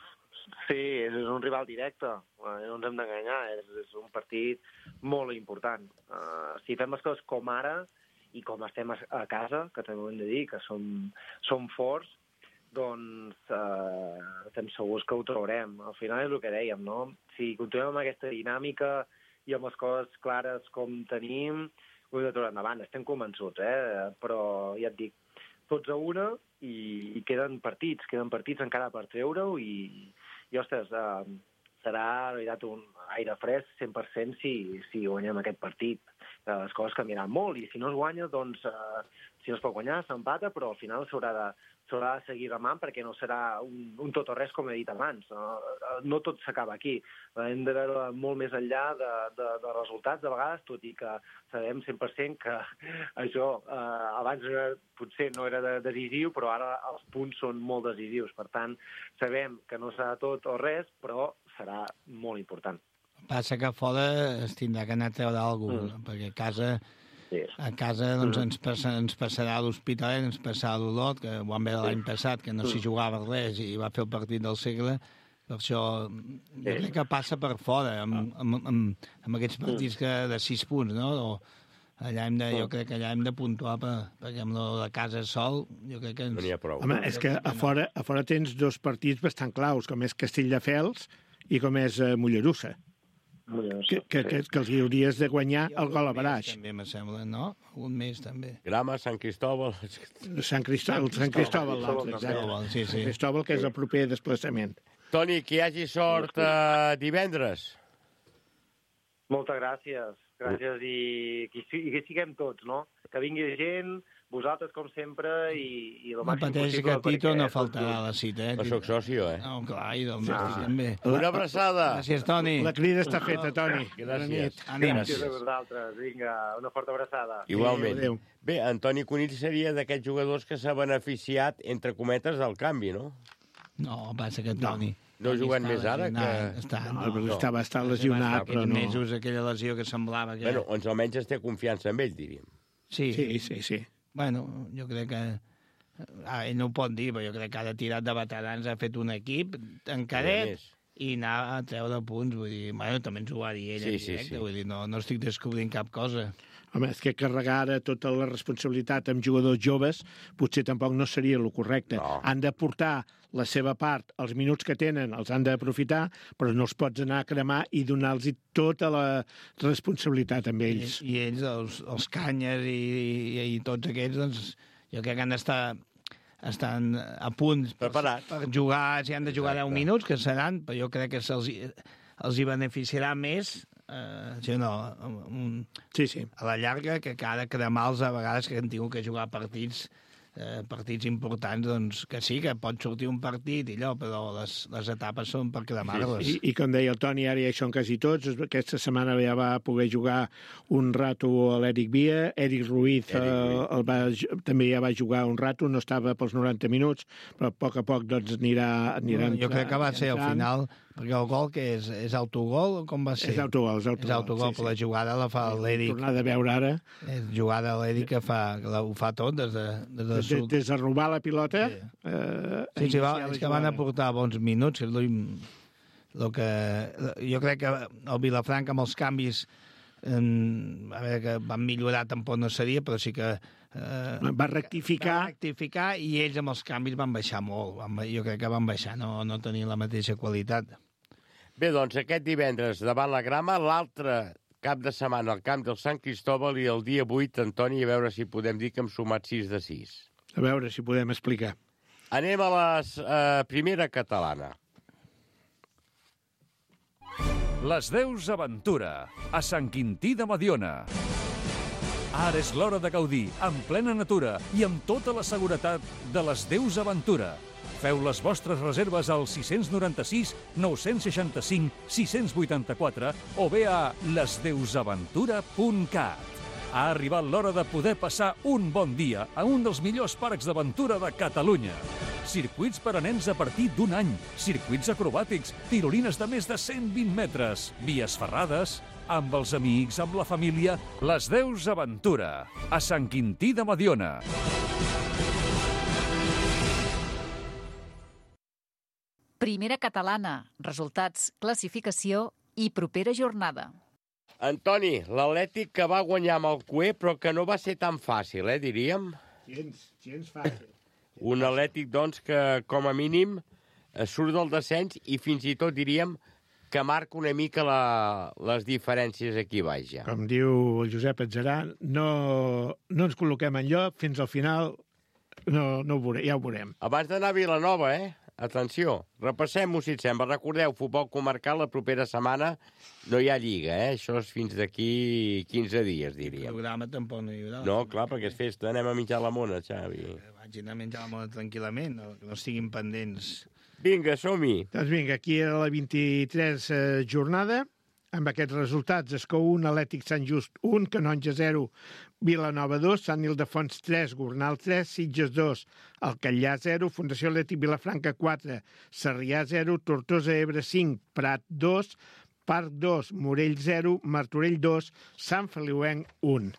sí, és un rival directe, no ens hem d'enganyar, és, és un partit molt important. Uh, si fem les coses com ara, i com estem a, a casa, que també ho hem de dir, que som, som forts, doncs uh, estem segurs que ho trobarem. Al final és el que dèiem, no? Si continuem amb aquesta dinàmica i amb les coses clares com tenim, ho hem de trobar endavant. Estem convençuts, eh? Però ja et dic, tots a una i, i queden partits, queden partits encara per treure-ho i, i ostres, uh, serà en realitat un aire fresc cent per cent si, si guanyem aquest partit. les coses canviaran molt, i si no es guanya, doncs, eh, si no es pot guanyar, s'empata, però al final s'haurà de, s'haurà de seguir remant perquè no serà un, un tot o res, com he dit abans. No, no tot s'acaba aquí. Hem de veure molt més enllà de, de, de resultats, de vegades, tot i que sabem cent per cent que això eh, abans era, potser no era de, decisiu, però ara els punts són molt decisius. Per tant, sabem que no serà tot o res, però serà molt important. Passa que a fora es tindrà que anar a treure alguna cosa, mm. perquè a casa... Sí. A casa doncs, ens, passa, ens passarà l'Hospitalet, ens passarà l'Olot, que ho vam veure l'any passat, que no s'hi jugava res i va fer el partit del segle. Per això jo crec que passa per fora, amb, amb, amb, amb aquests partits que, de sis punts, no? O allà hem de, jo crec que allà hem de puntuar per, perquè amb la de casa sol jo crec que ens... No n'hi ha prou. Home, és que a fora, a fora tens dos partits bastant claus, com és Castelldefels i com és uh, Mollerussa. Que, que, que, que els hauries de guanyar el gol a baraix. També me sembla, no? Un mes, també. Grama, Sant Cristóbal... Sant Cristóbal, Sant Cristóbal, l'altre, exacte. Sí, sí. Sant Cristóbal, que és el proper desplaçament. Toni, que hi hagi sort uh, divendres. Moltes gràcies. Gràcies i que, i que siguem tots, no? Que vingui gent, vosaltres, com sempre, i, i el no màxim pateix possible. Que Tito no faltarà a la cita, eh? No soc socio, eh? No, clar, i del Messi ah. també. Una abraçada. Gràcies, Toni. La crida està feta, Toni. Gràcies. Gràcies a vosaltres. Vinga, una forta abraçada. Igualment. Adéu. Bé, Antoni Conill seria d'aquests jugadors que s'ha beneficiat, entre cometes, del canvi, no? No, passa que Toni... No. No jugant més ara? Que... Està, no, no. Estava, estava lesionat, però no. Mesos, aquella lesió que semblava que... Bueno, doncs almenys es té confiança en ell, diríem. Sí, sí, sí. sí. Bueno, jo crec que... Ah, ell no ho pot dir, però jo crec que ha tirat de veterans, ha fet un equip encaret i anar a treure punts, vull dir... Bueno, també ens ho va dir ell sí, en directe, sí, sí. Vull dir, no, no estic descobrint cap cosa. Home, és que carregar ara tota la responsabilitat amb jugadors joves potser tampoc no seria el correcte. No. Han de portar la seva part, els minuts que tenen els han d'aprofitar, però no els pots anar a cremar i donar-los tota la responsabilitat amb ells. I, i ells, els, els canyes i, i, i tots aquests, doncs, jo crec que han d'estar estan a punt preparats per jugar, si han de jugar Exacte. deu minuts, que seran, però jo crec que se'ls els hi beneficiarà més eh, si no, un, sí, sí. a la llarga, que cada cremar-los a vegades que han tingut que jugar partits eh, partits importants, doncs que sí, que pot sortir un partit i allò, però les, les etapes són per cremar-les. Sí, sí. I, I com deia el Toni, ara ja hi són quasi tots. Aquesta setmana ja va poder jugar un rato a l'Eric Via, Eric Ruiz, Eric Ruiz. Eh, el va, també ja va jugar un rato, no estava pels noranta minuts, però a poc a poc doncs, anirà, anirà no, jo crec que va ser al final, perquè el gol que és, és autogol, com va ser? És autogol, és autogol. És autogol, sí, però sí. La jugada la fa l'Eric. Tornar de veure ara. És jugada a l'Eric que, fa, que la, ho fa tot des de, des de Des, des de robar la pilota. Sí, eh, sí, sí va, és que van aportar bons minuts. Que, lo que, jo crec que el Vilafranca amb els canvis en, a veure, que van millorar tampoc no seria, però sí que eh, va rectificar. Va rectificar i ells amb els canvis van baixar molt. Van, jo crec que van baixar, no, no tenien la mateixa qualitat. Bé, doncs aquest divendres davant la Grama, l'altre cap de setmana al camp del Sant Cristóbal i el dia vuit, Antoni, a veure si podem dir que hem sumat sis de sis. A veure si podem explicar. Anem a la eh, primera catalana. Les Deus Aventura, a Sant Quintí de Mediona. Ara és l'hora de gaudir, en plena natura i amb tota la seguretat de les Deus Aventura. Feu les vostres reserves al sis nou sis, nou sis cinc, sis vuit quatre o bé a les deus aventura punt cat. Ha arribat l'hora de poder passar un bon dia a un dels millors parcs d'aventura de Catalunya. Circuits per a nens a partir d'un any, circuits acrobàtics, tirolines de més de cent vint metres, vies ferrades, amb els amics, amb la família, les Deus Aventura, a Sant Quintí de Mediona. Primera catalana, resultats, classificació i propera jornada. Antoni, l'Atlètic que va guanyar amb el Cué, però que no va ser tan fàcil, eh, diríem? Gens, gens fàcil. Un Atlètic, doncs, que com a mínim surt del descens i fins i tot diríem que marca una mica la, les diferències aquí baix ja. Com diu el Josep Atzerà, no, no ens col·loquem enlloc, fins al final no, no ho veurem, ja ho veurem. Abans d'anar a Vilanova, eh? atenció, repassem-ho si et sembla. Recordeu, futbol comarcal, la propera setmana no hi ha lliga, eh? Això és fins d'aquí quinze dies, diríem. El programa tampoc no hi haurà. No, clar, perquè és festa, anem a menjar la mona, Xavi. Vaig anar a menjar la mona tranquil·lament, no, que no estiguin pendents. Vinga, som-hi. Doncs vinga, aquí era la vint-i-tres eh, jornada. Amb aquests resultats, Escó un, Atlètic Sant Just un, Canonja zero, Vilanova dos, Sant Ildefons tres, Gornal tres, Sitges dos, Alcallà zero, Fundació Atlètic Vilafranca quatre, Sarrià zero, Tortosa Ebre cinc, Prat dos, Parc dos, Morell zero, Martorell dos, Sant Feliuenc un.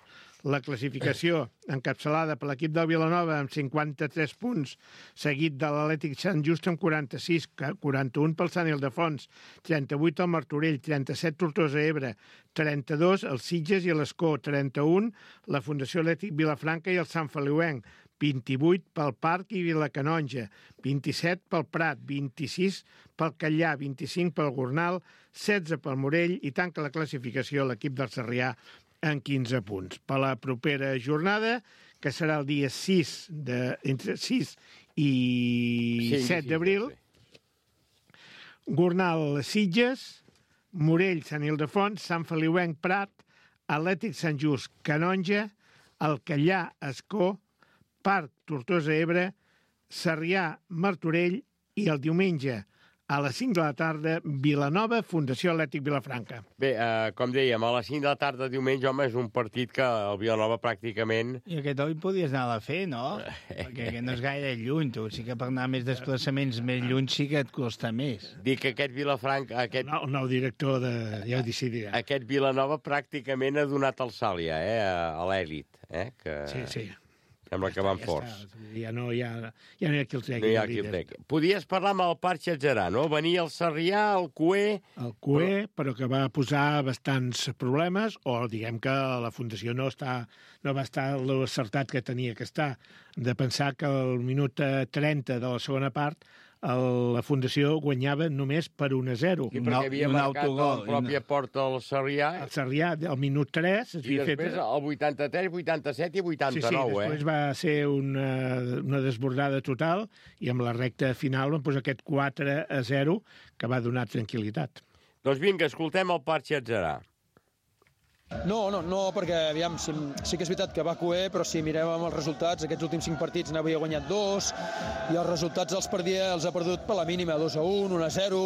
La classificació encapçalada per l'equip del Vilanova amb cinquanta-tres punts, seguit de l'Atlètic Sant Just amb quaranta-sis, quaranta-un pel Sant Ildefons, trenta-vuit el Martorell, trenta-set Tortosa Ebre, trenta-dos el Sitges i l'Escó, trenta-un la Fundació Atlètic Vilafranca i el Sant Feliuenc, vint-i-vuit pel Parc i Vilacanonja, vint-i-set pel Prat, vint-i-sis pel Callà, vint-i-cinc pel Gornal, setze pel Morell i tanca la classificació l'equip del Sarrià en quinze punts. Per la propera jornada, que serà el dia sis de, entre sis i sí, set d'abril, sí. Gornal Sitges, Morell Sant Ildefons, Sant Feliuenc Prat, Atlètic Sant Just Canonja, Alcallà Escó, Parc Tortosa Ebre, Sarrià Martorell i el diumenge a les cinc de la tarda, Vilanova, Fundació Atlètic Vilafranca. Bé, eh, com dèiem, a les cinc de la tarda diumenge, home, és un partit que el Vilanova pràcticament... I aquest oi podies anar a fer, no? Perquè aquest no és gaire lluny, tu. Sí que per anar més desplaçaments més lluny sí que et costa més. Dic que aquest Vilafranca... Aquest... El nou director de... ja ho decidirà. Aquest Vilanova pràcticament ha donat el salt ja, eh, a l'èlit, eh? Que... Sí, sí. Sembla que van ja forts. Ja no hi ha, ja no hi ha qui el tregui. No hi ha qui el tregui. Podies parlar amb el Parc Xatgerà, no? Venia el Sarrià, el Cué... El Cué, però... però que va posar bastants problemes, o diguem que la Fundació no, està, no va estar l'acertat que tenia que estar. De pensar que al minut trenta de la segona part el, la Fundació guanyava només per un a zero. I perquè havia un marcat autogol, la pròpia una... porta al Sarrià. El Sarrià, al minut tres... I després fet... el vuitanta-tres, vuitanta-set i vuitanta-nou, sí, sí, eh? després va ser una, una desbordada total i amb la recta final van posar aquest quatre a zero que va donar tranquil·litat. Doncs vinga, escoltem el Parc Xatgerà. No, no, no, perquè aviam, sí, sí que és veritat que va coer, però si mirem amb els resultats, aquests últims cinc partits n'havia guanyat dos, i els resultats els perdia, els ha perdut per la mínima, dos a un, un a zero,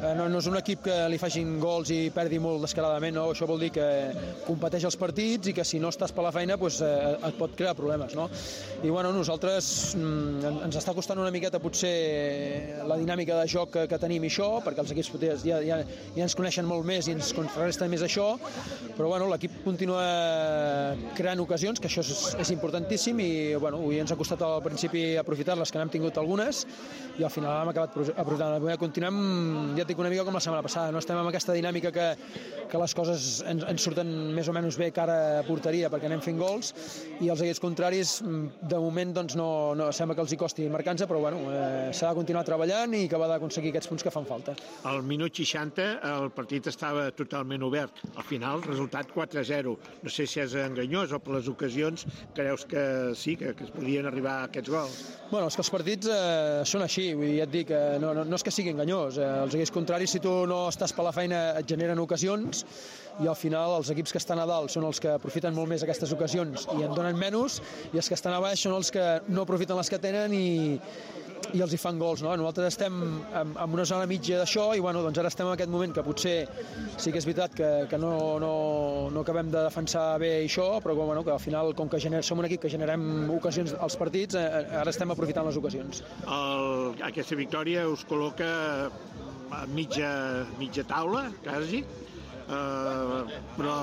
eh, no, no és un equip que li facin gols i perdi molt descaradament, no? Això vol dir que competeix els partits i que si no estàs per la feina pues, eh, et pot crear problemes, no? I bueno, nosaltres mm, ens està costant una miqueta potser la dinàmica de joc que, que tenim i això, perquè els equips ja, ja, ja ens coneixen molt més i ens contrarresten més això, però bueno, l'equip continua creant ocasions, que això és, és importantíssim i bueno, avui ens ha costat al principi aprofitar-les, que n'hem tingut algunes i al final hem acabat aprofitant. Continuem, ja et dic, una mica com la setmana passada, no estem amb aquesta dinàmica que, que les coses ens, ens surten més o menys bé cara a porteria perquè anem fent gols i els equips contraris de moment doncs, no, no sembla que els hi costi marcar-nos, però bueno, eh, s'ha de continuar treballant i acabar d'aconseguir aquests punts que fan falta. Al minut seixanta el partit estava totalment obert. Al final, el resultat quatre a zero. No sé si és enganyós o per les ocasions creus que sí, que, que es podien arribar a aquests gols. Bueno, és que els partits eh, són així, vull dir, ja et dic, eh, no, no, no és que sigui enganyós. Eh, els equips contraris, si tu no estàs per la feina, et generen ocasions i al final els equips que estan a dalt són els que aprofiten molt més aquestes ocasions i en donen menys, i els que estan a baix són els que no aprofiten les que tenen i i els hi fan gols, no? Nosaltres estem en, en una zona mitja d'això i bueno, doncs ara estem en aquest moment que potser sí que és veritat que, que no, no, no acabem de defensar bé això, però bueno, que al final, com que gener, som un equip que generem ocasions als partits, eh, ara estem aprofitant les ocasions. El, aquesta victòria us col·loca a mitja, mitja taula, quasi, Uh, però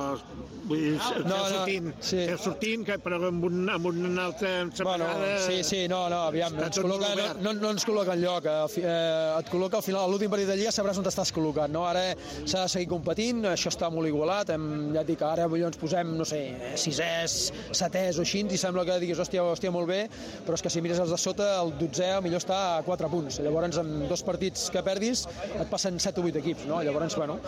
vull dir, no, no, sortint, sí. sortint que, però amb, un, amb una altra separada... Bueno, sí, sí, no, no, aviam, no ens, col·loca, no, no, no ens col·loca enlloc, eh, et col·loca al final, a l'últim partit de Lliga sabràs on t'estàs col·locat, no? Ara s'ha de seguir competint, això està molt igualat, hem, ja et dic, ara ens posem, no sé, sisès, setès o així, i sembla que diguis, hòstia, hòstia, molt bé, però és que si mires els de sota, el dotzè millor està a quatre punts, llavors amb dos partits que perdis et passen set o vuit equips, no? Llavors, bueno,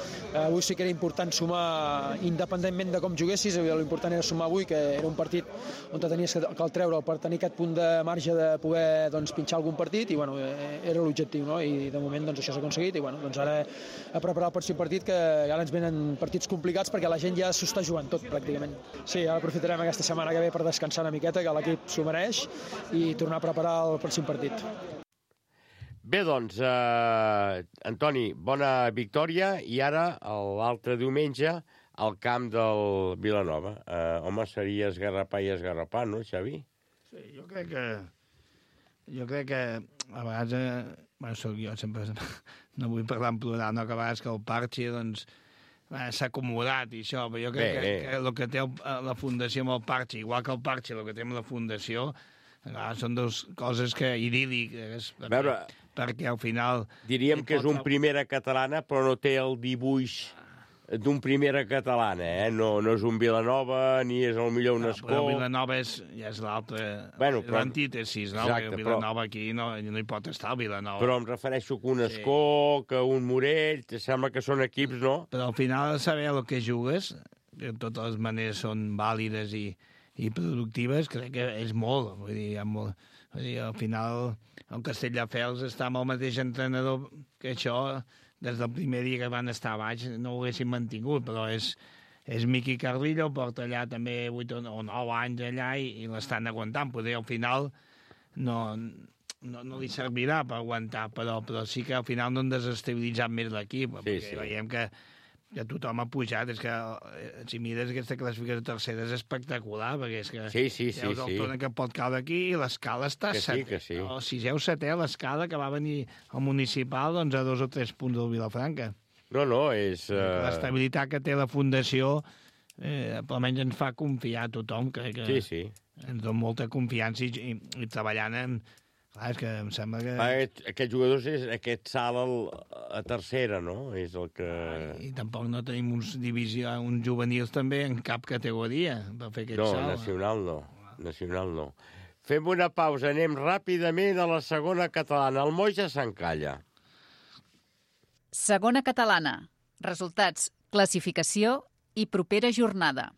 avui sí que era important important sumar independentment de com juguessis, l'important era sumar avui, que era un partit on tenies que el treure per tenir aquest punt de marge de poder doncs, pinxar algun partit, i bueno, era l'objectiu, no? I de moment doncs, això s'ha aconseguit, i bueno, doncs ara a preparar el pròxim partit, que ara ens venen partits complicats perquè la gent ja s'ho està jugant tot, pràcticament. Sí, ara aprofitarem aquesta setmana que ve per descansar una miqueta, que l'equip s'ho mereix, i tornar a preparar el pròxim partit. Bé, doncs, eh, Antoni, bona victòria, i ara, l'altre diumenge, al camp del Vilanova. Eh, home, seria esgarrapar i esgarrapar, no, Xavi? Sí, jo crec que... Jo crec que a vegades... Eh, bueno, soc jo, sempre... No vull parlar en plural, no? Que a vegades que el Parchi, doncs, s'ha acomodat i això, però jo crec bé, que, bé. que el que té el, la Fundació amb el Parchi, igual que el Parchi, el que té amb la Fundació, clar, són dues coses que idíl·liques, perquè, veure, perquè al final... Diríem que és un primera catalana, però no té el dibuix d'un primera catalana, eh? No, no és un Vilanova, ni és el millor un Escó. Però Vilanova és, ja és l'altre, bueno, però... l'antítesis, no? Exacte, el Vilanova però... aquí no, no hi pot estar, el Vilanova. Però em refereixo que un Escó, sí. que un Morell, te sembla que són equips, no? Però al final saber el que jugues, de totes les maneres són vàlides i, i productives, crec que és molt. Vull dir, molt, vull dir, al final el Castelldefels està amb el mateix entrenador que això, des del primer dia que van estar a baix, no ho haguessin mantingut, però és, és Miqui Carrillo, porta allà també vuit o nou anys allà i, i l'estan aguantant. Poder al final no, no, no li servirà per aguantar, però, però sí que al final no han desestabilitzat més l'equip, sí, perquè sí. Veiem que, que tothom ha pujat. És que si mires aquesta classificació tercera és espectacular, perquè és que sí, sí, sí, veus el sí. torn que pot caure aquí i l'escala està que sí, que sí. O sisè o setè, l'escala que va venir al municipal doncs, a dos o tres punts del Vilafranca. No, no, és... Uh... L'estabilitat que té la Fundació eh, almenys ens fa confiar a tothom, crec que sí, sí. ens dona molta confiança i, i, i treballant en... Clar, és que em sembla que... Aquest, aquest jugador és aquest salt al, a tercera, no? És el que... I tampoc no tenim uns, divisió, uns juvenils també en cap categoria per fer aquest no, salt. No, nacional no. Nacional no. Fem una pausa, anem ràpidament a la segona catalana. El Moja s'encalla. Segona catalana. Resultats, classificació i propera jornada.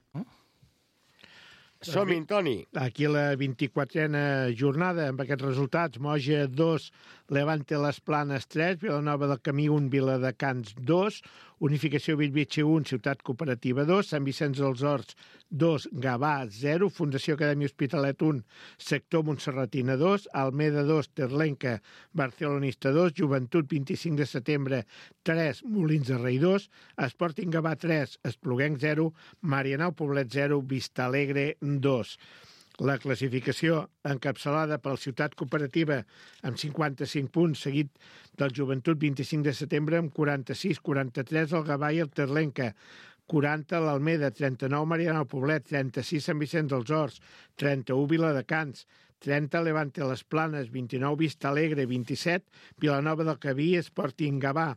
Som-hi, Toni. Aquí la vint-i-quatrena jornada, amb aquests resultats. Moja, dos, Levante Les Planes, tres, Vilanova del Camí, un, Viladecans, dos, Unificació Bellvitge, un, Ciutat Cooperativa, dos, Sant Vicenç dels Horts, dos, Gavà, zero, Fundació Acadèmia Hospitalet, un, Sector Montserratina, dos, Almeda, dos, Terlenca, Barcelonista, dos, Joventut, vint-i-cinc de setembre, tres, Molins de Rei, dos, Sporting Gavà, tres, Espluguenc, zero, Marianao Poblet, zero, Vista Alegre, dos. La classificació encapçalada per la Ciutat Cooperativa amb cinquanta-cinc punts, seguit del Joventut vint-i-cinc de setembre amb quaranta-sis, quaranta-tres el Gavà i el Terlenca, quaranta l'Almeda, trenta-nou Marianao Poblet, trenta-sis Sant Vicenç dels Horts, trenta-u Viladecans, trenta Levante Les Planes, vint-i-nou Vista Alegre, vint-i-set Vilanova del Camí, Sporting Gavà,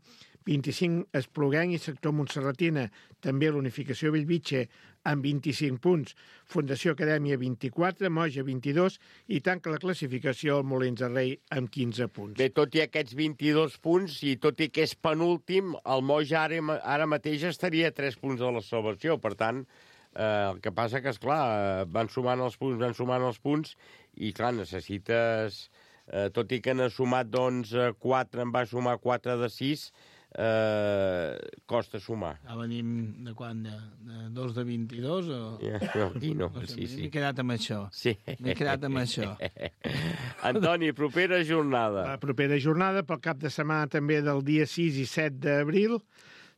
vint-i-cinc Espluguenc i Sector Montserratina, també l'Unificació Bellvitge amb vint-i-cinc punts, Fundació Acadèmia vint-i-quatre, Moja vint-i-dos i tanca la classificació el Molins de Rei amb quinze punts. Bé, tot i aquests vint-i-dos punts i tot i que és penúltim, el Moja ara, ara mateix estaria a tres punts de la salvació, per tant, eh, el que passa que, esclar, van sumant els punts, van sumant els punts i, clar, necessites, eh, tot i que n'ha sumat, doncs, quatre, en va sumar quatre de sis, Eh, costa sumar. Ja venim de quan? De, de dos de vint-i-dos? O... Ja, no, aquí no. no sé, sí, sí. M'he quedat amb això. Sí. M'he quedat amb això. Antoni, propera jornada. La propera jornada, pel cap de setmana també del dia sis i set d'abril,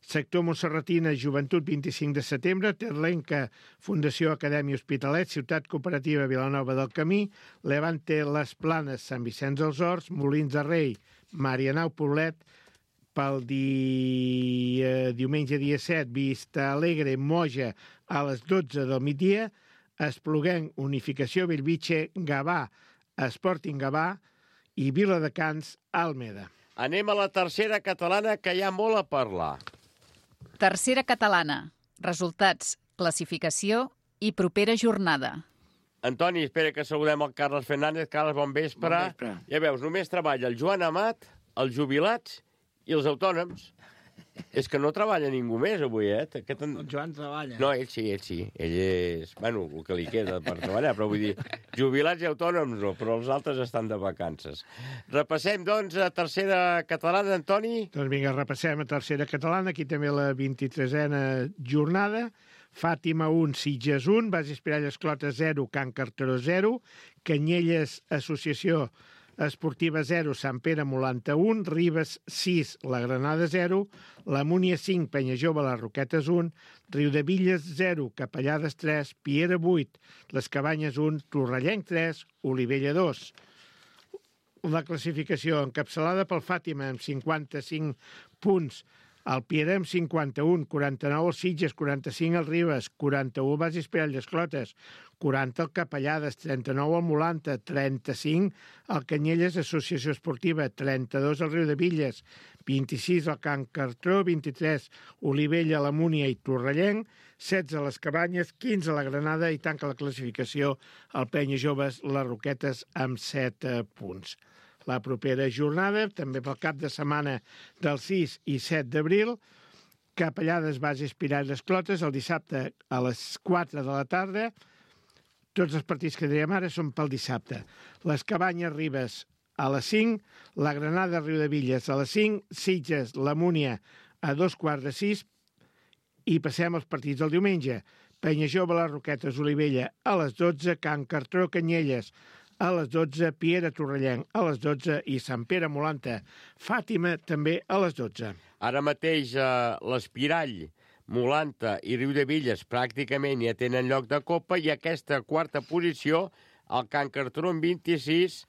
Sector Montserratina, Joventut, vint-i-cinc de setembre, Terlenca, Fundació Acadèmia Hospitalet, Ciutat Cooperativa Vilanova del Camí, Levante Les Planes, Sant Vicenç dels Horts, Molins de Rei, Marianao Poblet, pel dia, diumenge dia set, Vista Alegre, Moja, a les dotze del migdia, Espluguenc, Unificació Bellvitge, Gavà, Sporting Gavà i Viladecans, Almeda. Anem a la tercera catalana, que hi ha molt a parlar. Tercera catalana. Resultats, classificació i propera jornada. Antoni, espera que saludem el Carles Fernández. Carles, bon vespre. Bon vespre. Ja veus, només treballa el Joan Amat, els jubilats i els autònoms. És que no treballa ningú més avui, eh? Aquest... El Joan treballa. No, ell sí, ell sí. Ell és, bueno, el que li queda per treballar, però vull dir, jubilats i autònoms no, però els altres estan de vacances. Repassem, doncs, a tercera catalana, Antoni. Doncs vinga, repassem a tercera catalana, aquí també la vint-i-tresena jornada. Fàtima un, Sitges un, Base Espiralles Clota zero, Can Carteró zero, Canyelles Associació Esportiva zero, Sant Pere Molanta un, Ribes sis, La Granada zero, La Múnia cinc, Penya Jove, Les Roquetes un, Riudevilles zero, Capellades tres, Piera vuit, Les Cabanyes un, Torrellenc tres, Olivella dos. La classificació encapçalada pel Fàtima amb cinquanta-cinc punts, el Piera amb cinquanta-un, quaranta-nou el Sitges, quaranta-cinc el Ribes, quaranta-u el Base Espiralles Clotes, quaranta el Capellades, trenta-nou el Molanta, trenta-cinc el Canyelles Associació Esportiva, trenta-dos el Riudevilles, vint-i-sis el Can Cartró, vint-i-tres Olivella, la Múnia i Torrellenc, setze les Cabanyes, quinze la Granada i tanca la classificació el Penya Joves, les Roquetes amb set punts. La propera jornada, també pel cap de setmana del sis i set d'abril, Capellades, Base Espiralles Clotes, el dissabte a les quatre de la tarda. Tots els partits que dèiem ara són pel dissabte. Les Cabanyes, Ribes, a les cinc, la Granada, Riudevilles, a les cinc, Sitges, la Múnia, a dos quarts de sis, i passem als partits del diumenge. Penya Jove, les Roquetes, Olivella, a les dotze, Can Cartró, Canyelles, a les dotze, Piera Torrellenc, a les dotze, i Sant Pere Molanta, Fàtima, també a les dotze. Ara mateix eh, l'Espirall, Molanta i Riudevilles pràcticament ja tenen lloc de copa, i aquesta quarta posició, el Can Cartró amb vint-i-sis,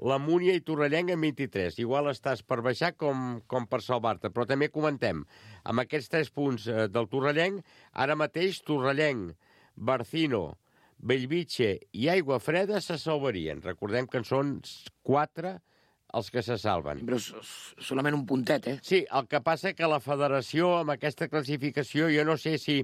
la Múnia i Torrellenc amb vint-i-tres. Igual estàs per baixar com, com per salvar-te, però també comentem, amb aquests tres punts eh, del Torrellenc, ara mateix Torrellenc, Barcino, Bellvitge i Aigua Freda se salvarien. Recordem que en són quatre els que se salven. Però solament un puntet, eh? Sí, el que passa que la federació, amb aquesta classificació, jo no sé si,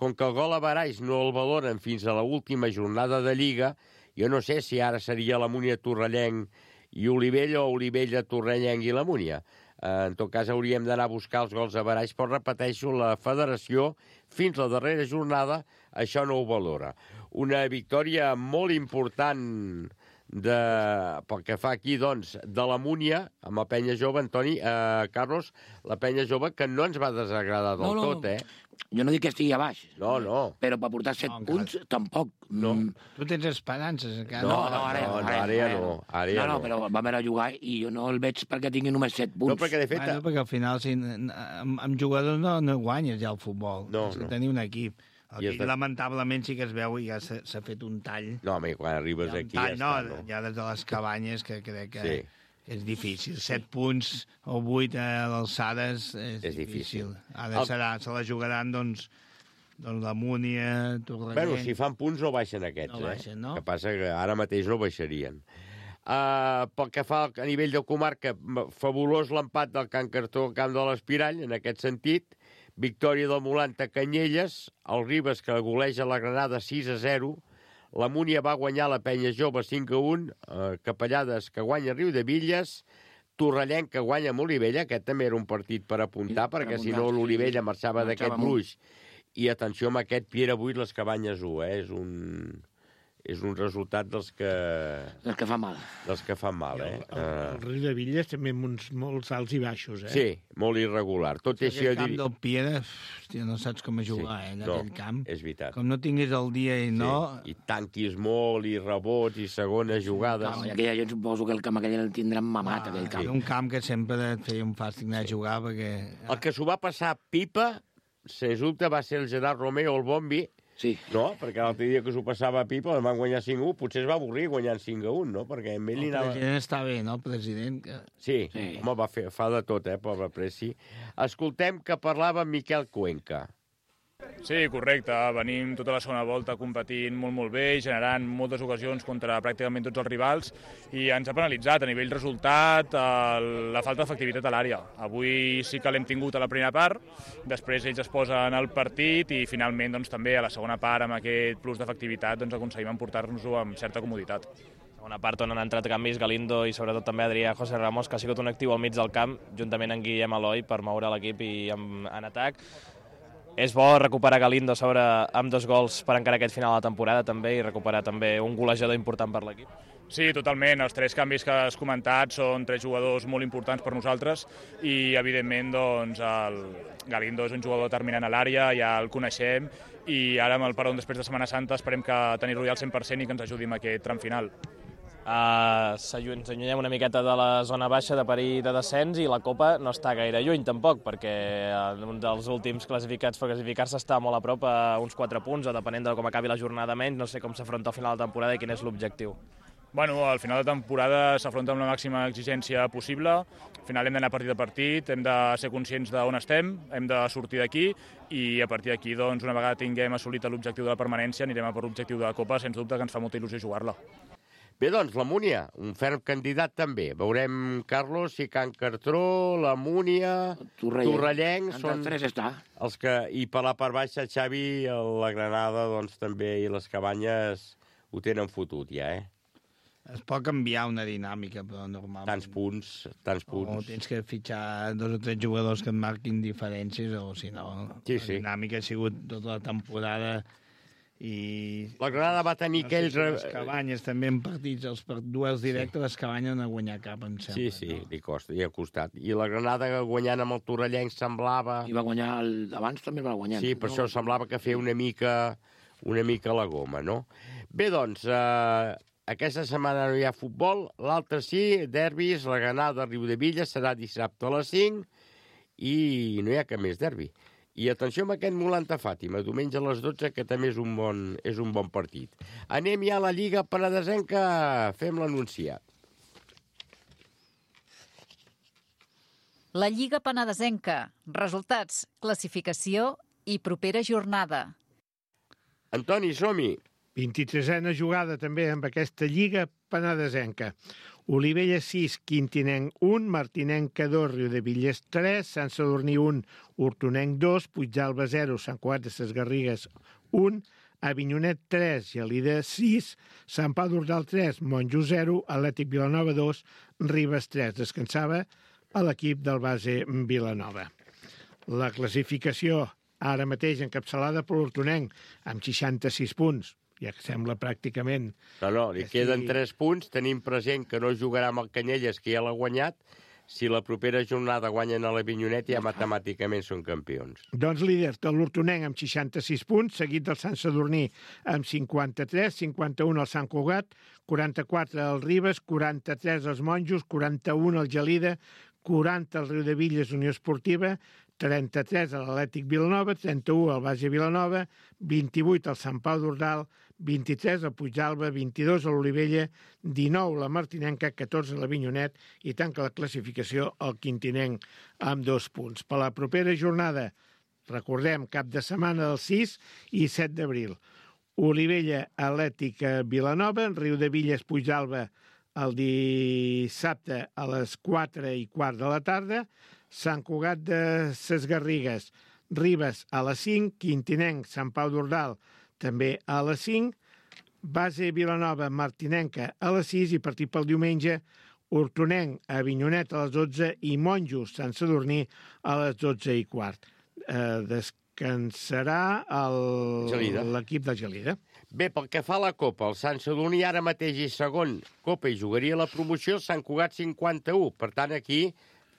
com que el gol a Baraix no el valoren fins a l'última jornada de Lliga, jo no sé si ara seria la Múnia Torrellenc i Olivella o Olivella Torrellenc i la Múnia. En tot cas, hauríem d'anar a buscar els gols a Baraix, però repeteixo, la federació, fins la darrera jornada, això no ho valora. Una victòria molt important de, pel que fa aquí, doncs, de la Múnia, amb la Penya Jove, Antoni, eh, Carlos, la Penya Jove, que no ens va desagradar del no, no, tot, eh? Jo no dic que estigui a baix. No, no. Però per portar set no, punts, encara... tampoc. No. Mm. Tu tens esperances, encara. No, no, ara, no, ara, no, ara ja no. Ara ja no, no, però vam anar a jugar i jo no el veig perquè tingui només set punts. No, perquè de fet... Bueno, perquè al final, si, amb, amb jugadors no, no guanyes ja el futbol. No, Has no. de tenir un equip. Aquí, de... lamentablement, sí que es veu i ja s'ha fet un tall. No, home, quan arribes aquí tall, ja no, està, no? Ja des de les Cabanyes, que crec que... Sí. És difícil. Set punts o vuit a l'alçades és, és difícil. difícil. Ara el... serà, se la jugaran, doncs, doncs la Múnia, Torrellenc... Bueno, si fan punts no baixen aquests, no baixen, eh? No? Que passa que ara mateix no baixarien. Uh, pel que fa a nivell de comarca, fabulós l'empat del Can Cartró al camp de l'Espirall, en aquest sentit. Victòria del Molanta Canyelles, el Ribes que goleja la Granada sis a zero, la Múnia va guanyar la Penya Jove cinc a un, uh, Capellades que guanya Riudevilles, Torrellenc que guanya amb Olivella, aquest també era un partit per apuntar, sí, perquè per si no l'Olivella marxava d'aquest gruix. I atenció amb aquest Piera vuit, les Cabanyes u, eh? És un... és un resultat dels que... Dels que fa mal. Dels que fan mal, eh? El, el, el Riudevilles també amb uns molts alts i baixos, eh? Sí, molt irregular. Tot sí, això... Aquell camp dir... del Piera, hòstia, no saps com a jugar, sí, eh, en no, aquell camp. És veritat. Com no tinguis el dia i no... Sí, i tanquis molt, i rebots, i segones jugades. No, i aquella, jo suposo que el camp aquell el tindran mamat, ah, aquell camp. Sí. Un camp que sempre et feia un fàstic anar sí. a jugar, perquè... El que s'ho va passar pipa, sens dubte, va ser el Gerard Romeo, el Bombi. Sí. No, perquè l'altre dia que s'ho passava a pipa el van guanyar cinc a u, potser es va avorrir guanyant cinc a u, no? Perquè amb ell el anava... president està bé, no? El president... Que... Sí, sí, home, va fer, fa de tot, eh, pobre Preci. Escoltem que parlava Miquel Cuenca. Sí, correcte. Venim tota la segona volta competint molt, molt bé, generant moltes ocasions contra pràcticament tots els rivals i ens ha penalitzat a nivell resultat el, la falta d'efectivitat a l'àrea. Avui sí que l'hem tingut a la primera part, després ells es posen al partit i finalment doncs, també a la segona part amb aquest plus d'efectivitat doncs, aconseguim emportar-nos-ho amb certa comoditat. Segona part on han entrat canvis Galindo i sobretot també Adrià José Ramos, que ha sigut un actiu al mig del camp, juntament amb Guillem Eloi, per moure l'equip i en, en atac. És bo recuperar Galindo sobre amb dos gols per encara aquest final de la temporada també i recuperar també un golejador important per l'equip. Sí, totalment. Els tres canvis que has comentat són tres jugadors molt importants per nosaltres i, evidentment, doncs, el Galindo és un jugador determinant a l'àrea, ja el coneixem, i ara amb el peron després de Setmana Santa esperem que tenir-lo ja al cent per cent i que ens ajudi en aquest tram final. Uh, ens allunyem una miqueta de la zona baixa de perill de descens i la Copa no està gaire lluny tampoc, perquè un dels últims classificats per classificar-se està molt a prop, a uns quatre punts, o depenent de com acabi la jornada menys, no sé com s'afronta al final de temporada i quin és l'objectiu. Bueno, al final de temporada s'afronta amb la màxima exigència possible. Al final hem d'anar partit a partit, hem de ser conscients d'on estem, hem de sortir d'aquí i a partir d'aquí, doncs, una vegada tinguem assolit l'objectiu de la permanència, anirem a per l'objectiu de la Copa, sens dubte que ens fa molta il·lusió jugar-la. Bé, doncs, la Múnia, un ferm candidat també. Veurem, Carlos, si Can Cartró, la Múnia, Torrellenc, són tres està. Els que, i per la part baixa, Xavi, la Granada, doncs, també, i les Cabanyes ho tenen fotut ja, eh? Es pot canviar una dinàmica, però normalment... Tants punts, tants punts. O tens que fitxar dos o tres jugadors que et marquin diferències, o si no, sí, la sí. dinàmica ha sigut tota la temporada i... La Granada va tenir no aquells... sé si les Cabanyes també en partits, els duels directes, sí. Les Cabanyes no han guanyat cap, em sembla. Sí, sí, no? li costa, li ha costat. I la Granada guanyant amb el Torrellenc semblava... I va guanyar, el... abans també va guanyar. Sí, per no? Això semblava que feia una mica, una mica la goma, no? Bé, doncs, eh, aquesta setmana no hi ha futbol, l'altra sí, derbis, la Granada de Riudevilla serà dissabte a les cinc i no hi ha cap més derbi. I atenció amb aquest Molanta Fàtima, diumenge a les dotze, que també és un bon, és un bon partit. Anem ja a la Lliga Penedesenca, fem l'anunciat. La Lliga Penedesenca, resultats, classificació i propera jornada. Antoni, som-hi. vint-i-tresena jugada també amb aquesta Lliga Penedesenca. Olivella sis, Quintinenc un, Martinenca dos, Riudevilles tres, Sant Sadurní un, Hortonenc dos, Puigdàlber zero, Sant Cugat de ses Garrigues un, Avinyonet tres, Gelida sis, Sant Pau d'Ordal tres, Monjo zero, Atlètic Vilanova dos, Ribes tres. Descansava a l'equip del base Vilanova. La classificació ara mateix encapçalada per l'Hortonenc amb seixanta-sis punts, ja que sembla pràcticament... No, no, li queden tres punts. Tenim present que no jugarà amb el Canyelles, que ja l'ha guanyat. Si la propera jornada guanyen a l'Avinyonet, ja matemàticament són campions. Doncs líder de l'Hortonenc amb seixanta-sis punts, seguit del Sant Sadurní amb cinquanta-tres, cinquanta-un al Sant Cugat, quaranta-quatre al Ribes, quaranta-tres als Monjos, quaranta-un al Gelida, quaranta al Riudevilles Unió Esportiva, trenta-tres a l'Atlètic Vilanova, trenta-u al Base Vilanova, vint-i-vuit al Sant Pau d'Ordal, vint-i-tres al Puigdàlber, vint-i-dos a l'Olivella, dinou la Martinenca, catorze a l'Avinyonet i tanca la classificació el Quintinenc amb dos punts. Per la propera jornada, recordem, cap de setmana del sis i set d'abril. Olivella, Atlètic Vilanova, Riudevilles, Puigdàlber el dissabte a les quatre i quart de la tarda, Sant Cugat de ses Garrigues, Ribes a les cinc, Quintinenc, Sant Pau d'Ordal també a les cinc, Base Vilanova, Martinenca a les sis i partit pel diumenge, Hortonenc, Avinyonet a les dotze i Monjos, Sant Sadurní a les dotze i quart. Eh, descansarà l'equip de Gelida. Bé, pel que fa a la Copa, el Sant Sadurní ara mateix és segon Copa i jugaria la promoció, Sant Cugat cinquanta-u. Per tant, aquí,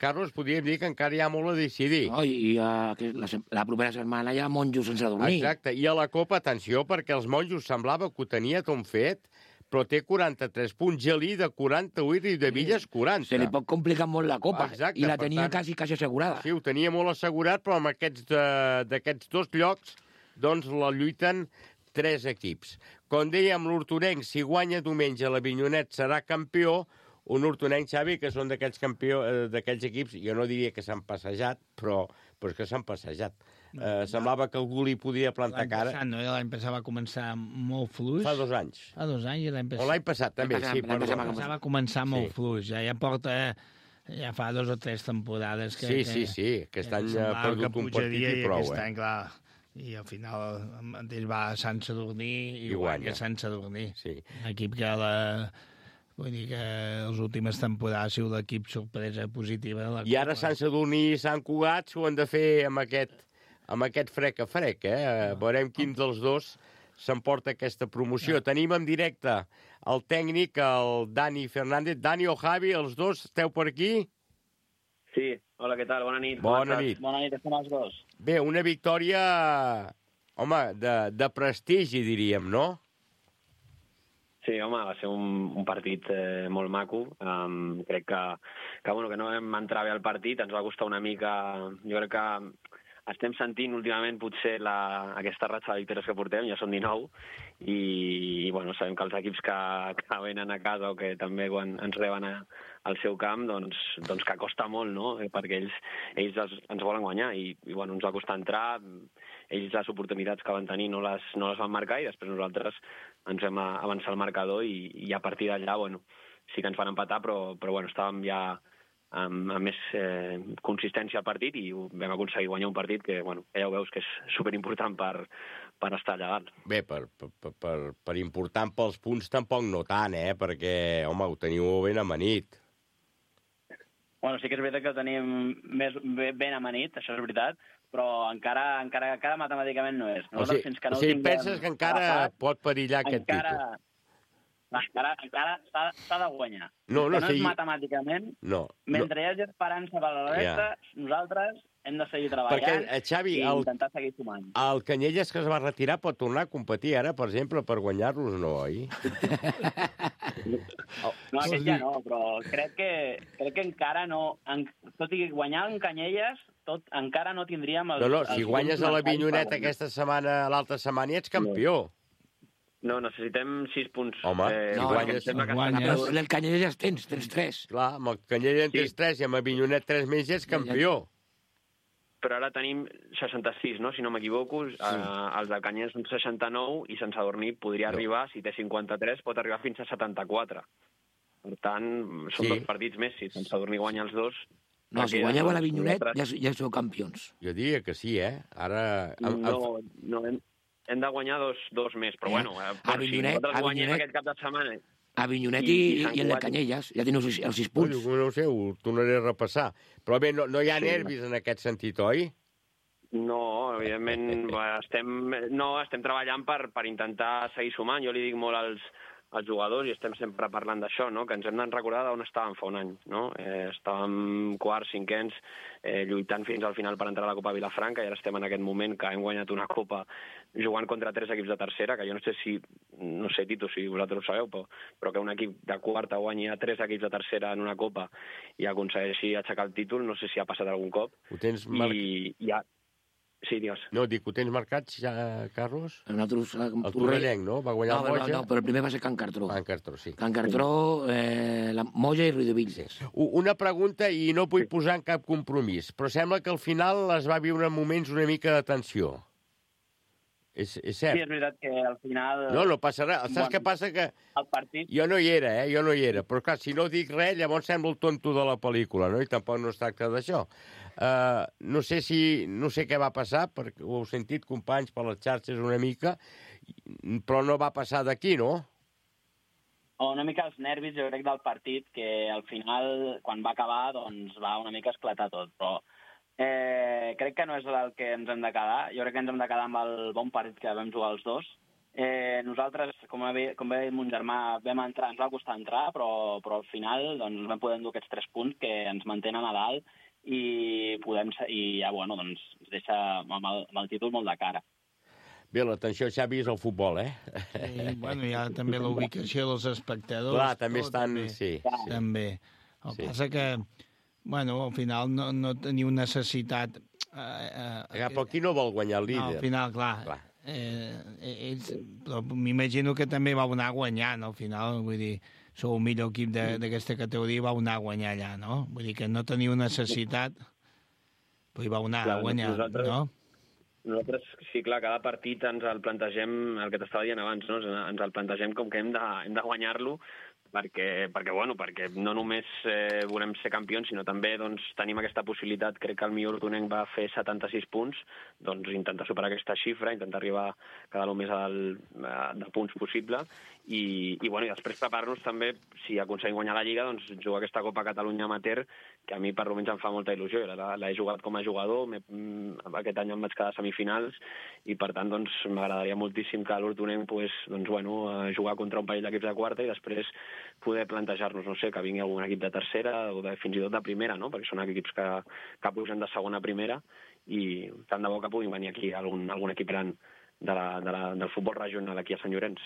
Carlos, podríem dir que encara hi ha molt a decidir. Oh, I uh, la, la propera setmana hi ha Monjos sense dormir. Exacte, i a la Copa, atenció, perquè els Monjos semblava que ho tenia tot fet, però té quaranta-tres punts, Gelida quaranta-u i Riudevilles quaranta. Se li pot complicar molt la Copa. Exacte, i la tenia tant, quasi, quasi assegurada. Sí, ho tenia molt assegurat, però amb aquests d'aquests dos llocs, doncs la lluiten tres equips. Com dèiem, l'Hortonenc, si guanya diumenge l'Avinyonet, serà campió. Un Hortonenc, Xavi, que són d'aquells campió, d'aquells equips, jo no diria que s'han passejat, però, però és que s'han passejat. No, eh, semblava que algú li podia plantar cara. L'any passat, no? L'any passat va començar molt fluix. Fa dos anys. Fa dos anys i l'any passat. O l'any passat, també, passat, sí. L'any passat, passat va començar molt sí. fluix. Ja, ja porta... Ja fa dos o tres temporades que... Sí, que, sí, sí, aquest que any ha perdut un partit i prou, aquest eh? Any, clar, i al final mateix va a Sant Sadurní i, I guanya Sant Sadurní. Sí. Un equip que la... Vull dir que les últimes temporades ha sigut l'equip sorpresa positiva. De la I ara Sant Sadurní i Sant Cugat s'ho han de fer amb aquest, amb aquest frec a frec, eh? Veurem quin dels dos s'emporta aquesta promoció. Ja. Tenim en directe el tècnic, el Dani Fernández. Dani o Javi, els dos, esteu per aquí? Sí, hola, què tal? Bona nit. Bona nit. Bona nit, estem els dos. Bé, una victòria, home, de, de prestigi, diríem, no? Sí, home, va ser un, un partit eh, molt maco. Um, crec que, que, bueno, que no vam entrar bé al partit, ens va costar una mica... Jo crec que estem sentint últimament potser la, aquesta ratxa de victòries que portem, ja són dinou, i, i bueno, sabem que els equips que, que venen a casa o que també quan ens reben a, al seu camp, doncs, doncs que costa molt, no? Perquè ells, ells els, ens volen guanyar i, i bueno, ens va costar entrar, ells les oportunitats que van tenir no les, no les van marcar i després nosaltres ens vam avançar el marcador i, i a partir d'allà, bueno, sí que ens van empatar, però, però bueno, estàvem ja amb, amb més eh, consistència al partit i vam aconseguir guanyar un partit que, bueno, ja ho veus que és superimportant per, per estar allà dalt. Bé, per, per, per, per important pels punts tampoc no tant, eh? Perquè, home, ho teniu ben amanit. Bueno, sí que és veritat que ho tenim més ben amanit, això és veritat, però encara, encara, encara matemàticament no és. O sigui, fins que no o sigui tinguem... penses que encara agafat, pot perillar aquest encara... títol? Encara, encara s'ha de guanyar. No, no, no sí. és matemàticament. No, mentre no. hi hagi esperança per la resta, yeah. nosaltres hem de seguir treballant. Perquè, Xavi, i el, intentar seguir sumant. El Canyelles que es va retirar pot tornar a competir ara, per exemple, per guanyar-los, no, oi? No, aquest ja no, però crec que, crec que encara no... En, tot i guanyar en Canyelles, tot, encara no tindríem... Els, no, no, si guanyes a la Vinyoneta aquesta setmana, l'altra setmana, ets campió. No. No, necessitem sis punts. Home, eh, si no, guanyes... guanyes. Però el Canyelles ja tens, tens tres. Clar, amb el Canyelles en tens sí. tres i amb el Vinyonet tres més ja ets campió. Però ara tenim seixanta-sis, no?, si no m'equivoco. Sí. Uh, els del Canyelles són seixanta-nou i Sant Sadurní podria no. arribar, si té cinquanta-tres, pot arribar fins a setanta-quatre. Per tant, són sí. dos partits més. Si Sant Sadurní guanya els dos... No, si guanyeu a la Vinyonet ja, ja sou campions. Jo diria que sí, eh? Ara... No, no, hem... Hem de guanyar dos, dos més, però eh? bueno, eh, a Vinyonet, si nosaltres guanyem aquest cap de setmana... A Vinyonet i, i, i en el Canyelles, ja teniu els, els sis punts. No, no ho sé, ho tornaré a repassar. Però bé, no, no hi ha sí, nervis en aquest sentit, oi? No, evidentment, estem, no, estem treballant per, per intentar seguir sumant. Jo li dic molt als, als jugadors i estem sempre parlant d'això, no? Que ens hem de recordar d'on estàvem fa un any. No? Eh, estàvem quarts, cinquens, eh, lluitant fins al final per entrar a la Copa Vilafranca i ara estem en aquest moment que hem guanyat una Copa jugant contra tres equips de tercera, que jo no sé si, no sé, Tito, si vosaltres ho sabeu, però, però que un equip de quarta guanyi a tres equips de tercera en una Copa i aconsegueixi aixecar el títol, no sé si ha passat algun cop. Ho tens marcat? I, i ja... Sí, digues. No, dic, ho tens marcat ja, Carlos? Nosaltres, el Torrellenc, no? Va guanyar no, el Moja? No, no, però el primer va ser Can Cartró. Can Cartró, sí. Can Cartró, eh, la Moja i Riudevilles. Una pregunta, i no vull posar en cap compromís, però sembla que al final es va viure en moments una mica de tensió. És, és cert. Sí, és veritat que al final... No, no passa res. Saps bueno, què passa? Que el partit... Jo no hi era, eh? Jo no hi era. Però, clar, si no dic res, llavors sembla el tonto de la pel·lícula, no? I tampoc no es tracta d'això. Uh, no sé si... No sé què va passar, perquè ho heu sentit, companys, per les xarxes una mica, però no va passar d'aquí, no? Una mica els nervis, jo crec, del partit, que al final, quan va acabar, doncs va una mica esclatar tot, però... Eh, crec que no és el que ens hem de quedar. Jo crec que ens hem de quedar amb el bon partit que vam jugar els dos. Eh, nosaltres, com, bé, com bé mon germà, vam entrar, ens va costar entrar, però, però al final doncs, vam poder endur aquests tres punts que ens mantenen a dalt i, podem, i ja bueno, doncs, ens deixa amb el, amb el títol molt de cara. Bé, l'atenció, Xavi, és el futbol, eh? Sí, bueno, hi ha també la ubicació dels espectadors. Clar, també tot, estan... També. Sí, sí. També. El que sí. passa que... Bueno, al final no, no teniu necessitat... Eh, eh, però qui no vol guanyar el líder? No, al final, clar. clar. Eh, ells, però m'imagino que també vau anar guanyant, al final, vull dir, sou el millor equip d'aquesta categoria i vau anar a guanyar allà, no? Vull dir que no teniu necessitat, però hi vau anar clar, a guanyar, nosaltres, no? Nosaltres, sí, clar, cada partit ens el plantegem, el que t'estava dient abans, no? Ens el plantegem com que hem de, hem de guanyar-lo, perquè, perquè, bueno, perquè no només eh, volem ser campions, sinó també doncs, tenim aquesta possibilitat. Crec que el millor hortonenc va fer setanta-sis punts, doncs intentar superar aquesta xifra, intentar arribar cada lo més al, de punts possible, i, i, bueno, i després preparar-nos també, si aconseguim guanyar la Lliga, doncs jugar aquesta Copa Catalunya Amateur, que a mi per almenys em fa molta il·lusió. L'he jugat com a jugador, aquest any em vaig quedar a semifinals, i per tant doncs, m'agradaria moltíssim que l'hortonenc pues, doncs, bueno, jugar contra un parell d'equips de quarta i després poder plantejar-nos, no sé, que vingui algun equip de tercera o de, fins i tot de primera, no? Perquè són equips que, que pugen de segona a primera, i tant de bo que puguin venir aquí algun, algun equip gran de la, de la, del futbol regional aquí a Sant Llorenç.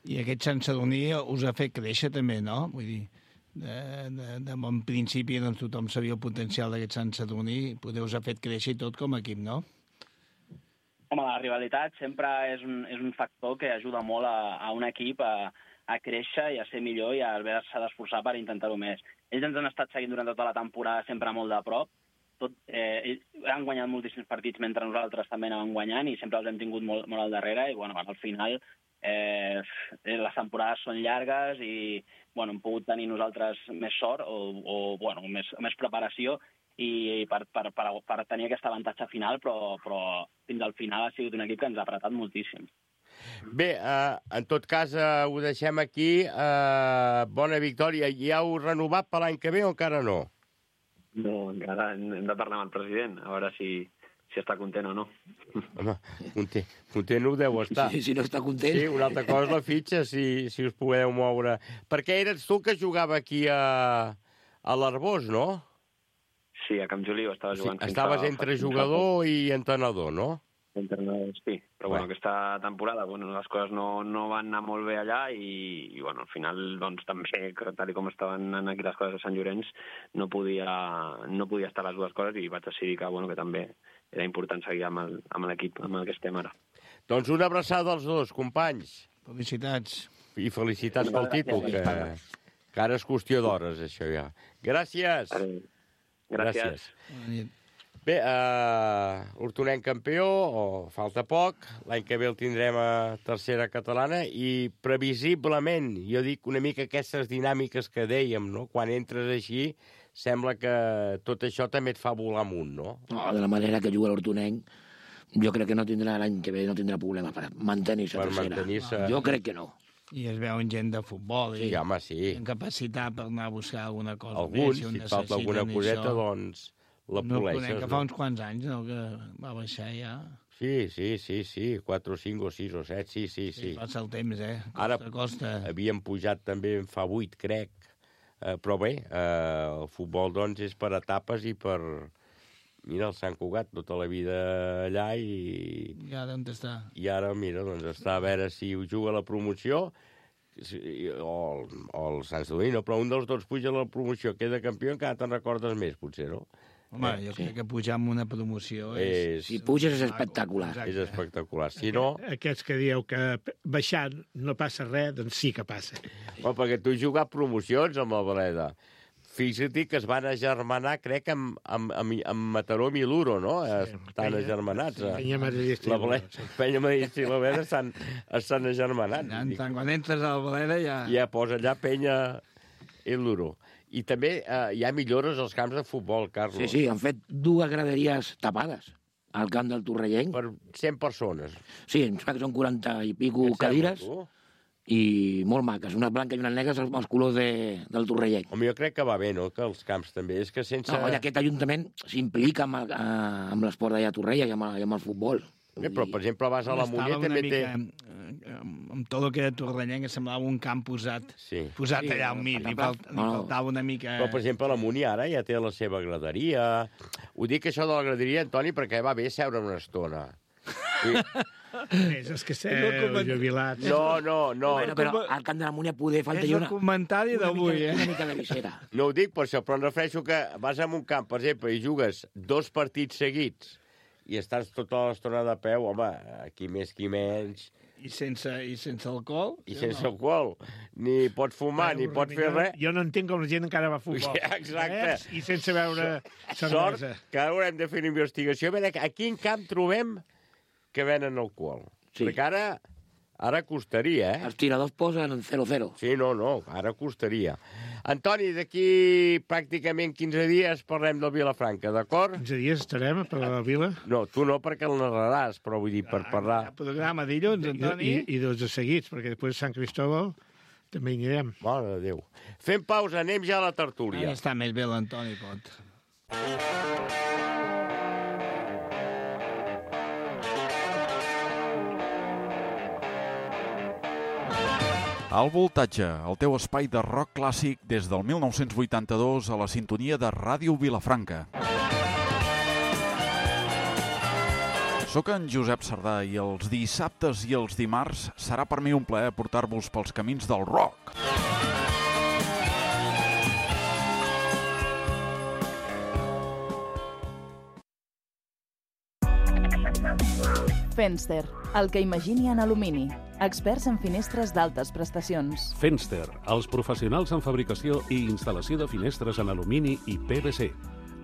I aquest Sant Sadurní us ha fet créixer també, no? Vull dir, de, de, de bon principi doncs, tothom sabia el potencial d'aquest Sant Sadurní, potser us ha fet créixer tot com a equip, no? Home, la rivalitat sempre és un, és un factor que ajuda molt a, a un equip a, a créixer i a ser millor i a haver-se d'esforçar per intentar-ho més. Ells ens han estat seguint durant tota la temporada sempre molt de prop. Tot, eh, ells han guanyat moltíssims partits mentre nosaltres també anàvem guanyant i sempre els hem tingut molt, molt al darrere i bueno, al final eh, les temporades són llargues i bueno, hem pogut tenir nosaltres més sort o, o bueno, més, més preparació i per, per, per, per tenir aquest avantatge final, però, però fins al final ha sigut un equip que ens ha apretat moltíssim. Bé, eh, en tot cas, eh, ho deixem aquí. Eh, bona victòria. Ja heu renovat per l'any que ve o encara no? No, encara hem de parlar amb el president, a veure si, si està content o no. Home, content, content ho deu estar. Sí, si no està content. Sí, una altra cosa és la fitxa, si, si us podeu moure. Perquè eres tu que jugava aquí a, a l'Arbós, no? Sí, a Camp Joliu estava jugant. Sí, estaves entre jugador i entrenador, no? Entrenador, sí. Però bueno, aquesta temporada bueno, les coses no, no van anar molt bé allà i, i bueno, al final doncs, també, tal com estaven aquí les coses a Sant Llorenç, no podia, no podia estar les dues coses i vaig decidir que, bueno, que també era important seguir amb l'equip amb el que estem ara. Doncs una abraçada als dos, companys. Felicitats. I felicitats pel títol, que, que ara és qüestió d'hores, això ja. Gràcies. Gràcies. Gràcies. Bé, uh, Hortonenc campió, o falta poc, l'any que ve el tindrem a tercera catalana i previsiblement, jo dic una mica aquestes dinàmiques que dèiem, no? Quan entres així, sembla que tot això també et fa volar amunt, no? No, de la manera que juga l'Hortonenc, jo crec que no tindrà l'any que ve, no tindrà problema per mantenir-se a tercera. Mantenir jo crec que no. I es veuen gent de futbol. Sí, i home, sí. En capacitat per anar a buscar alguna cosa Alguns, més. Si, si et falta alguna coseta, això, doncs la poleixes. No, que fa uns quants anys, no?, que va baixar ja. Sí, sí, sí, sí, quatre o cinc o sis o set, sí, sí, sí. Sí, passa el temps, eh? Costa, Ara costa. Havíem pujat també fa vuit, crec. Eh, però bé, eh, el futbol, doncs, és per etapes i per... Mira, el Sant Cugat, tota la vida allà i... I ara on està? I ara, mira, doncs està a veure si juga la promoció o el, o el Sant Sadurní, no, però un dels dos puja a la promoció, queda campió, encara te'n recordes més, potser, no? Home, eh, jo sí. crec que pujar amb una promoció és... és... Si puges és espectacular. Exacte. És espectacular. Si no... Aquests que dieu que baixar no passa res, doncs sí que passa. Bueno, perquè tu has jugat promocions amb la Baleda. Fixa't que es van agermanar, crec, amb, amb, amb, amb Mataró i Miluro, no? Sí, estan agermanats. Sí, Penya Madridista i la Baleda. Sí. Penya Madridista i la Baleda estan, estan agermanats. Ja, quan entres a la Baleda ja... Ja posa allà Penya i Luro. I també eh, hi ha millores als camps de futbol, Carlos. Sí, sí, han fet dues graderies tapades al camp del Torrellenc. Per cent persones. Sí, em sembla que són quaranta i pico cadires. I molt maques, unes blanques i unes negres els colors de, del Torrellenc. Home, jo crec que va bé, no?, que els camps també. És que sense... No, i aquest ajuntament s'implica amb, el, amb l'esport d'allà a Torrella i amb, i amb el futbol. Bé, però, per exemple, vas a la Muller també té... Amb tot el que era Torrellenc semblava un camp posat, sí. posat sí, allà al mig, li, falt, li faltava una mica... Però, per exemple, la Muni ara ja té la seva graderia. Ho dic això de la graderia, Antoni, perquè va bé seure una estona. Sí. És els que seu jubilats. No, no, no. Bueno, però al camp de la Múnia poder falta és una... És el comentari d'avui, eh? Una mica de visera. No ho dic per això, però em refereixo que vas a un camp, per exemple, i jugues dos partits seguits i estàs tota l'estona de peu, home, qui més, qui menys... I sense, i sense alcohol? I sense alcohol. Ni pot fumar, ni pot fer res. Jo no entenc com la gent encara va a futbol. Ja, exacte. Eh? I sense beure cervesa. Sort que ara haurem de fer una investigació. A veure, a quin camp trobem que venen alcohol? Sí. Perquè ara Ara costaria, eh? Els tiradors posen zero zero. Sí, no, no, ara costaria. Antoni, d'aquí pràcticament quinze dies parlem del Vilafranca, d'acord? quinze dies estarem per la Vila? No, tu no, perquè el narraràs, però vull dir, per parlar... Programa dilluns, Antoni. I, i dos de seguits, perquè després Sant Cristóbal també hi anirem. Mare de Déu. Fem pausa, anem ja a la tertúlia. Ara està més bé l'Antoni, pot. Al Voltatge, el teu espai de rock clàssic des del mil nou-cents vuitanta-dos a la sintonia de Ràdio Vilafranca. Soc en Josep Sardà i els dissabtes i els dimarts serà per mi un plaer portar-vos pels camins del rock. Fenster, el que imagini en alumini. Experts en finestres d'altes prestacions. Fenster, els professionals en fabricació i instal·lació de finestres en alumini i P V C,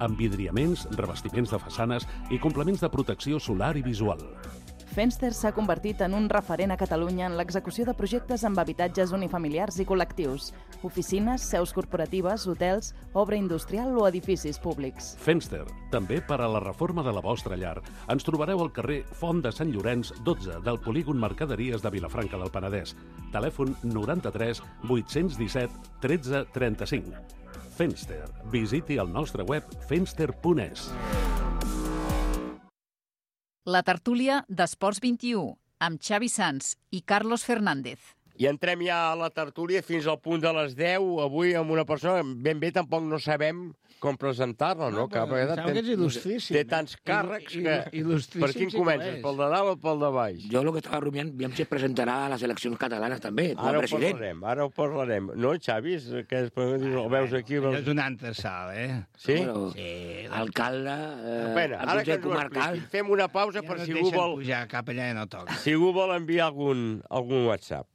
amb vidriaments, revestiments de façanes i complements de protecció solar i visual. Fenster s'ha convertit en un referent a Catalunya en l'execució de projectes amb habitatges unifamiliars i col·lectius, oficines, seus corporatives, hotels, obra industrial o edificis públics. Fenster, també per a la reforma de la vostra llar. Ens trobareu al carrer Font de Sant Llorenç, dotze, del polígon Mercaderies de Vilafranca del Penedès. Telèfon noranta-tres vuit-cents disset tretze trenta-cinc. Fenster. Visiti el nostre web fenster punt es. La tertúlia d'Esports vint-i-u, amb Xavi Sans i Carlos Fernández. I entrem ja a la tertúlia fins al punt de les deu, avui amb una persona ben bé tampoc no sabem com presentar-la, no? No, però em sembla que és il·lustríssim. Té tants càrrecs que... Per quin comences? Per de dalt o pel de baix? Jo el que estava rumiant, aviam si es presentarà a les eleccions catalanes també, com a Ara ho president. parlarem, ara ho parlarem. No, Xavi, que és, el veus aquí... Allò és un antesal, eh? Sí? Bueno, Sí. alcalde, eh, Bueno, el ara que Consell ens ho Comarcal. expliqui, fem una pausa Ja per no si et algú deixen vol... pujar cap allà i no toca. Si algú vol enviar algun, algun WhatsApp.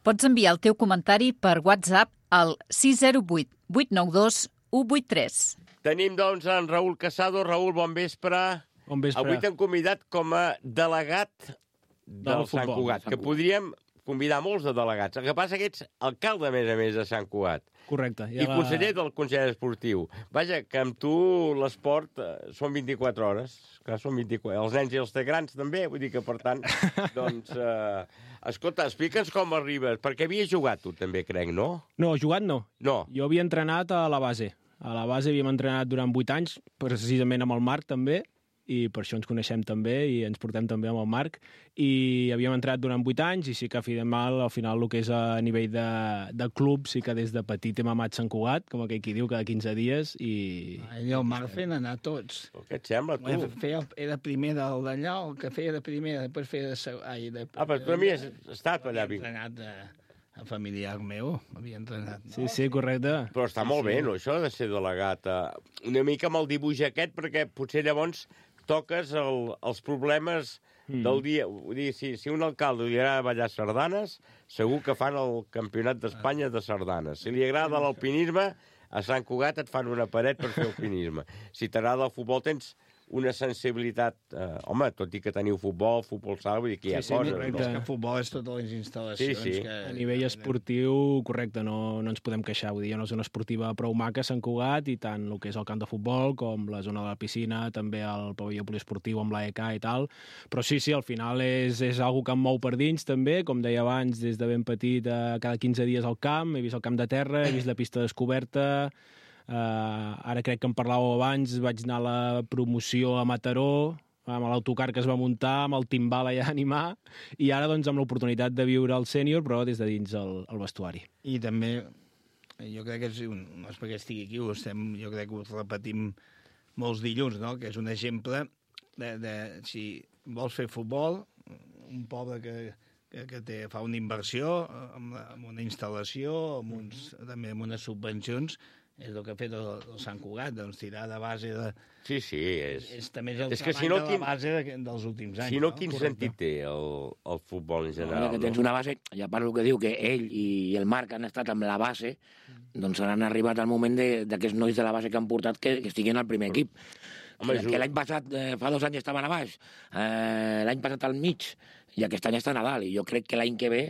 Pots enviar el teu comentari per WhatsApp al sis zero vuit vuit nou dos u vuit tres. Tenim, doncs, en Raül Casado. Raül, bon vespre. Bon vespre. Avui t'hem convidat com a delegat del, Del Sant futbol, Cugat, Sant que Cugat. podríem convidar molts de delegats. El que passa que ets alcalde, a més a més, de Sant Cugat. Correcte. I conseller del Consell Esportiu. Vaja, que amb tu l'esport eh, són vint-i-quatre hores. Clar, són vint-i-quatre. Els nens i els té grans, també. Vull dir que, per tant, doncs... Eh, escolta, explica'ns com arribes, perquè havies jugat tu també, crec, no? No, jugat no. No. Jo havia entrenat a la base. A la base havíem entrenat durant vuit anys, precisament amb el Marc també, i per això ens coneixem també i ens portem també amb el Marc, i havíem entrenat durant vuit anys i sí que al al final el que és a nivell de, de club sí que des de petit hem amat Sant Cugat, com aquell qui diu, cada quinze dies, i... Ell i el Marc feien anar tots. Què et sembla, tu? Feia, era primer del d'allà, el que feia de primer, després feia de... seg- Ai, de Ah, però tu a mi has estat allà. Havia entrenat a, a familiar meu, havia entrenat. No? Sí, sí, correcte. Però està molt bé, no, això de ser delegat. eh, Una mica amb el dibuix aquest, perquè potser llavors toques el, els problemes Mm. del dia. Vull dir, si, si un alcalde li agrada ballar sardanes, segur que fan el campionat d'Espanya de sardanes. Si li agrada l'alpinisme, a Sant Cugat et fan una paret per fer alpinisme. Si t'agrada el futbol, tens una sensibilitat... Eh, home, tot i que teniu futbol, futbol sala, vull dir que hi ha Sí, sí, coses. correcte. És que futbol és totes les instal·lacions. Sí, sí. Que... A nivell esportiu, correcte, no, no ens podem queixar. Vull dir, hi ha una zona esportiva prou maca a Sant Cugat, i tant el que és el camp de futbol com la zona de la piscina, també el pavelló poliesportiu amb l'A E K i tal. Però sí, sí, al final és, és algo que em mou per dins, també. Com deia abans, des de ben petit, eh, cada quinze dies al camp, he vist el camp de terra, he vist la pista descoberta. Uh, ara crec que em parlàveu abans, vaig anar a la promoció a Mataró, amb l'autocar que es va muntar, amb el timbal allà a animar, i ara doncs amb l'oportunitat de viure al sènior, però des de dins el, el vestuari. I també, jo crec que és un, no és perquè estigui aquí, ho estem, jo crec que ho repetim molts dilluns, no? Que és un exemple de, de si vols fer futbol, un poble que, que, que té, fa una inversió amb, la, amb una instal·lació, amb uns, també amb unes subvencions, és el que ha fet el, el Sant Cugat, doncs tirar de base de... Sí, sí, és... És també és el és que treball si no, de quin... la base de, dels últims anys. Si no, no? quin Correcte. sentit té el, el futbol en general? Ara que tens una base, ja parlo que diu que ell i el Marc han estat amb la base, doncs han arribat al moment d'aquests nois de la base que han portat que, que estiguin al primer equip. Home, que l'any passat, eh, fa dos anys estaven a baix, eh, l'any passat al mig, i aquest any està a Nadal, i jo crec que l'any que ve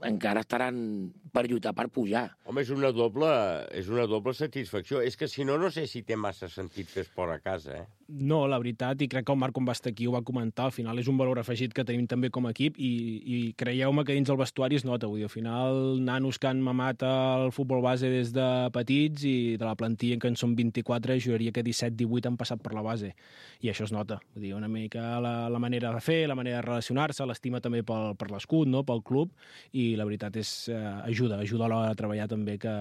encara estaran per lluitar per pujar. Home, és una doble, és una doble satisfacció. És que si no, no sé si té massa sentit fer esport a casa, eh? No, la veritat, i crec que el Marc, quan va estar aquí, ho va comentar, al final és un valor afegit que tenim també com a equip, i, i creieu-me que dins el vestuari es nota, vull dir, al final, nanos que han mamat el futbol base des de petits, i de la plantilla que en són vint-i-quatre, juraria que disset divuit han passat per la base, i això es nota. Vull dir, una mica la, la manera de fer, la manera de relacionar-se, l'estima també pel, per l'escut, no?, pel club, i la veritat és eh, ajuda, ajuda a l'hora de treballar també que,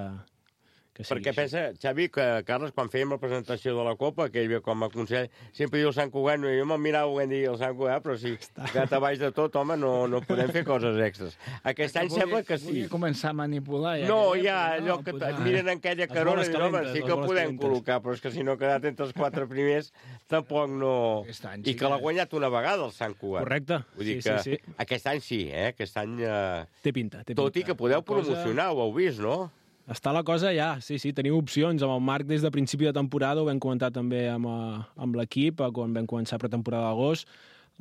que sigui Perquè així. pensa, Xavi, que Carles, quan fèiem la presentació de la Copa, que ell ve com a consell, sempre diu el Sant Cugat, no, jo me'l mirava ho dir el Sant Cugat, però si quedat a baix de tot, home, no, no podem fer coses extres. Aquest any sembla que sí. Volia començar a manipular. Ja no, que ja, allò que et miren en aquella carona i diuen, home, sí que podem col·locar, però és que si no ha quedat entre els quatre primers, tampoc no... I que l'ha guanyat una vegada el Sant Cugat. Correcte. Vull dir sí, que sí, sí. aquest any sí, eh? Aquest any... Eh... Té pinta, té pinta. Tot i que podeu promocionar, ho heu vist, no? Està la cosa ja, sí, sí, tenim opcions. Amb el Marc des de principi de temporada, ho vam comentar també amb, amb l'equip, quan vam començar pretemporada d'agost.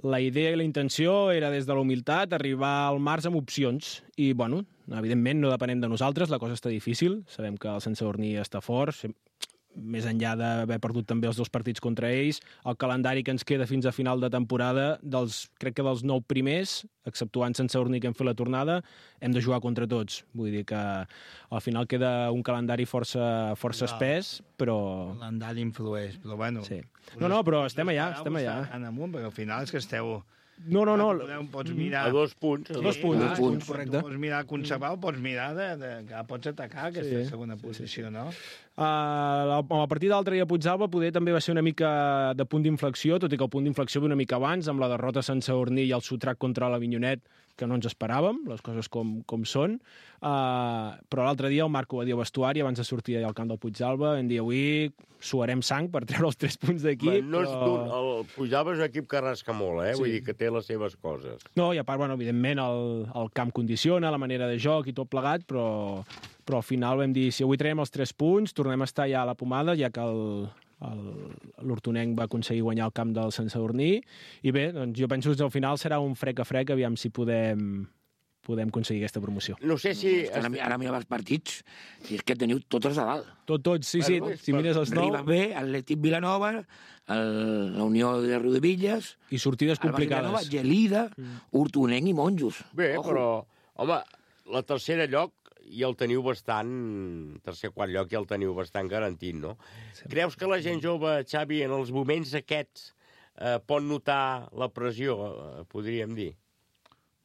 La idea i la intenció era, des de la humilitat, arribar al març amb opcions. I, bueno, evidentment no depenem de nosaltres, la cosa està difícil. Sabem que el Sant Sadurní està fort, més enllà d'haver perdut també els dos partits contra ells, el calendari que ens queda fins a final de temporada, dels, crec que dels nou primers, exceptuant Sant Sadurní que hem fet la tornada, hem de jugar contra tots. Vull dir que al final queda un calendari força, força no, espès, però... El calendari influeix, però bueno... Sí. No, no, però estem allà, estem allà. Estan amunt, perquè al final és que esteu... No, no, no. Pots mirar... A dos punts. A dos punts, ah, dos punts, correcte. Tu pots mirar conservar, pots mirar de, de, que pots atacar aquesta sí, segona posició, sí, sí. no? Uh, a partir d'altre dia a Puigdàlber poder també va ser una mica de punt d'inflexió, tot i que el punt d'inflexió ve una mica abans, amb la derrota a Sant Sadurní i el sotrac contra l'Avinyonet, que no ens esperàvem, les coses com, com són. Uh, però l'altre dia el Marc ho va dir al vestuari, abans de sortir al camp del Puigdàlber, vam dir avui suarem sang per treure els tres punts d'aquí. No però... El Puigdàlber és un equip que rasca molt, eh? Sí. Vull dir que té les seves coses. No, i a part, bueno, evidentment, el, el camp condiciona, la manera de joc i tot plegat, però, però al final vam dir, si avui traiem els tres punts, tornem a estar ja a la pomada, ja que el, l'Hortonenc va aconseguir guanyar el camp del Sant Sadurní, i bé, doncs jo penso que al final serà un frec a frec, aviam si podem, podem aconseguir aquesta promoció. No sé si... Ara, ara mira els partits, si és que teniu tots els de dalt. Tot, tots, sí, sí, bueno, si mires els nou... Riba B, Atlètic Vilanova, el, la Unió de Riudevilles... I sortides complicades. Vilanova, Gelida, mm. Hortonenc i Monjos. Bé, Ojo. Però, home, la tercera lloc i el teniu bastant, tercer quart lloc i el teniu bastant garantit, no? Sí. Creus que la gent jove, Xavi, en els moments aquests eh, pot notar la pressió, eh, podríem dir?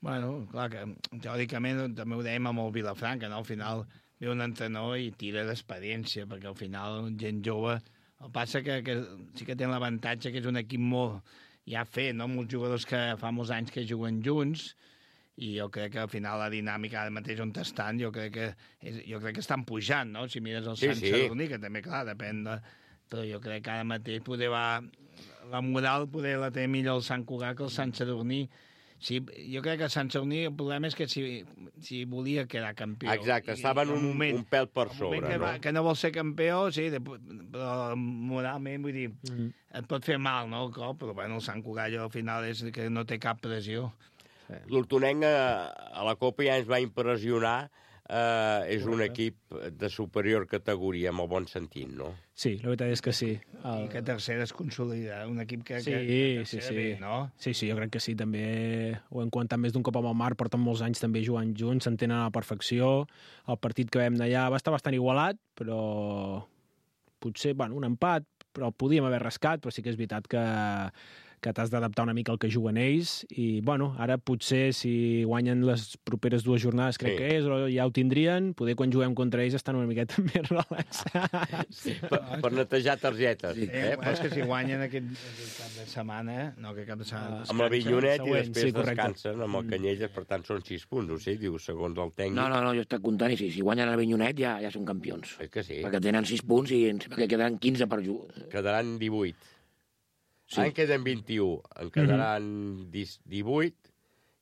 Bueno, clar que teòricament també ho dèiem amb el Vilafranca, no? Al final ve un entrenador i tira d'experiència, perquè al final gent jove... El passa que, que sí que té l'avantatge que és un equip molt ja fet, no? Molts jugadors que fa molts anys que juguen junts, i jo crec que al final la dinàmica ara mateix on estan, jo crec que, és, jo crec que estan pujant, no? Si mires el sí, Sant sí. Sadurní, que també, clar, depèn de... Però jo crec que ara mateix poder va... La moral poder la té millor el Sant Cugat que el Sant Sadurní. Sí, jo crec que Sant Sadurní el problema és que si, si volia quedar campió... Exacte, estaven un, moment, un pèl per sobre, que, no? Va, que no vol ser campió, sí, de, però moralment, vull dir, mm. et pot fer mal, no, el cop, però bueno, el Sant Cugat al final és que no té cap pressió. L'Hortonenc a la Copa ja ens va impressionar, eh, és un equip de superior categoria, amb el bon sentit, no? Sí, la veritat és que sí. El... I que tercera es consolida, un equip que... Sí, que, que sí, sí. Bé, no? Sí, sí, jo crec que sí, també ho hem comentat més d'un cop amb el Marc, porten molts anys també jugant junts, s'entenen a la perfecció, el partit que vam d'allà va estar bastant igualat, però potser, bueno, un empat, però el podíem haver rascat, però sí que és veritat que que t'has d'adaptar una mica al que juguen ells, i, bueno, ara potser si guanyen les properes dues jornades, crec sí. que és, o ja ho tindrien, poder quan juguem contra ells estan una miqueta més relaxats. Sí, per, per netejar targetes. Sí, eh? Però és que si guanyen aquest, aquest cap de setmana, no, aquest cap de setmana... Uh, amb el Vinyonet i després sí, descansen amb el Canyelles, per tant són sis punts, o sigui, diu, segons el tècnic. No, no, no, jo estic comptant, i si, si guanyen el Vinyonet ja, ja són campions. És que sí. Perquè tenen sis punts i em sembla que quedaran quinze per jugar. Quedaran divuit. Sí. En queden vint-i-u, en quedaran mm-hmm. divuit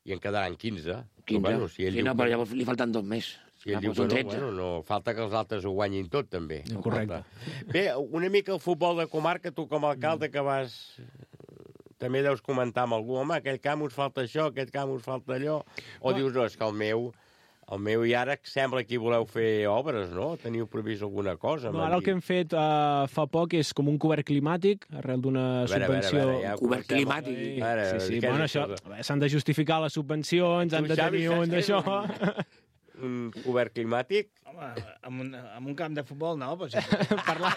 i en quedaran quinze. quinze. Però, bueno, si sí, no, però llavors li falten dos més. Si ell ah, diu que no, bueno, no, falta que els altres ho guanyin tot, també. No, correcte. Bé, una mica el futbol de comarca, tu com a alcalde que vas també deus comentar amb algú, home, aquell camp us falta això, aquest camp us falta allò, o dius, no, és que el meu... El meu i ara sembla que hi voleu fer obres, no? Teniu previst alguna cosa? No, ara el que hem fet uh, fa poc és com un cobert climàtic, arrel d'una subvenció... A veure, a veure, ja cobert climàtic. A veure, sí, sí, bueno, això, s'han de justificar les subvencions, han de tenir un d'això... Un cobert climàtic? Home, amb un, amb un camp de futbol no, però sí. Parlar...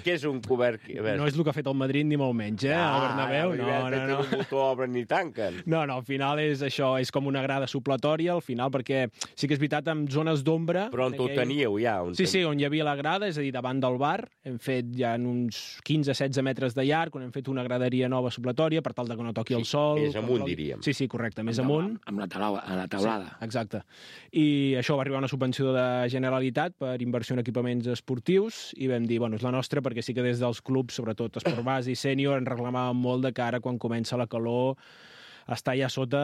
Què és un cobert? No és el que ha fet el Madrid, ni molt menys, eh? Ah, el Bernabéu, no, no, no. no. Un botó obren ni tanquen. No, no, al final és això, és com una grada supletòria, al final, perquè sí que és veritat, amb zones d'ombra... Però on ho teníeu, ja? On sí, sí, on hi havia la grada, és a dir, davant del bar, hem fet ja en uns quinze a setze metres de llarg, on hem fet una graderia nova supletòria, per tal de que no toqui el sol... Més amunt, diríem. Sí, sí, correcte, més amunt. Amb la taulada. Sí, exacte. I això va arribar una subvenció de Generalitat per inversió en equipaments esportius i vam dir, bueno, és la nostra perquè sí que des dels clubs, sobretot esport base i sènior, en reclamàvem molt de cara quan comença la calor està ja sota...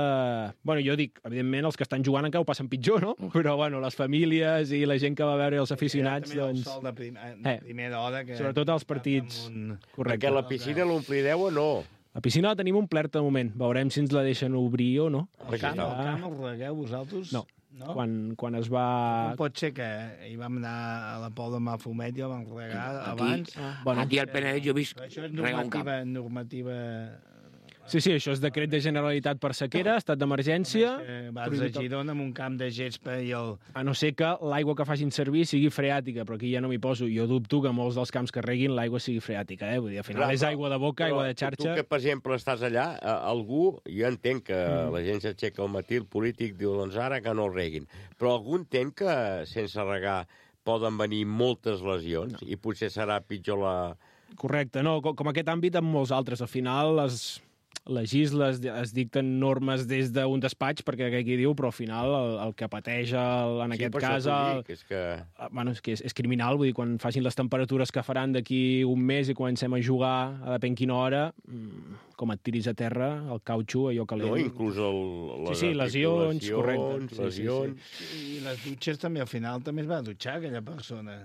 Bueno, jo dic, evidentment, els que estan jugant encara ho passen pitjor, no? Però, bueno, les famílies i la gent que va veure els aficionats, també doncs... el sol de, prim de primera hora... Que sobretot els partits... Un... Correcte. Perquè la piscina l'omplireu o no? La piscina la tenim omplerta de moment. Veurem si ens la deixen obrir o no. El camp, el camp el regueu vosaltres? No. No? Quan, quan es va... Com pot ser que hi vam anar a la Pou de Mafumet i el vam regar aquí, abans? Ah, bueno, aquí al Penedès jo he vist això és regar un camp. normativa... Sí, sí, això és decret de Generalitat per sequera, estat d'emergència... Vas a Girona amb un camp de gespa i el... A no ser que l'aigua que facin servir sigui freàtica, però aquí ja no m'hi poso. Jo dubto que molts dels camps que reguin l'aigua sigui freàtica, eh? Vull dir, al final és aigua de boca, aigua de xarxa... Tu que, per exemple, estàs allà, algú, jo entenc que mm. la gent s'aixeca al matí, el polític diu, doncs ara que no el reguin. Però algú entén que sense regar poden venir moltes lesions no. i potser serà pitjor la... Correcte, no, com aquest àmbit amb molts altres. Al final les... legisles, es dicten normes des d'un despatx, perquè aquí diu, però al final el, el que pateix el, en sí, aquest cas... El, dic, és que... Bueno, és que és, és criminal, vull dir, quan facin les temperatures que faran d'aquí un mes i comencem a jugar a depèn quina hora, com et tiris a terra, el cautxú, allò calent... No, inclús el, les sí, sí, lesions, correcte. Lesions... Sí, sí, sí. I les dutxes també, al final, també es va dutxar aquella persona.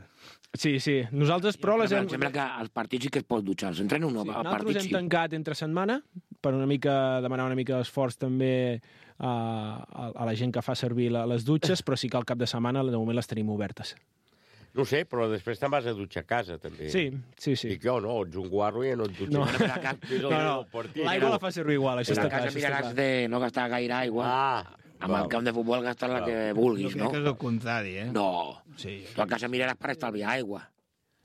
Sí, sí. Nosaltres, però, les hem... Em sembla que als partits sí que es pot dutxar. Els entreno no, sí. Al partit nosaltres hem sí. tancat entre setmana per una mica demanar una mica d'esforç també a, a, a la gent que fa servir la, les dutxes, però sí que al cap de setmana de moment les tenim obertes. No sé, però després te'n vas a dutxar a casa, també. Sí, sí, sí. Dic jo, no, ets un guarro i no et dutxes. No, no, no, no. l'aigua la fa servir igual, això està clar. A casa miraràs de no gastar gaire aigua. Ah, amb el camp de futbol gastar la que vulguis, no? Jo crec que és el contrari, eh? No. Sí. Tu a casa miraràs per estalviar aigua.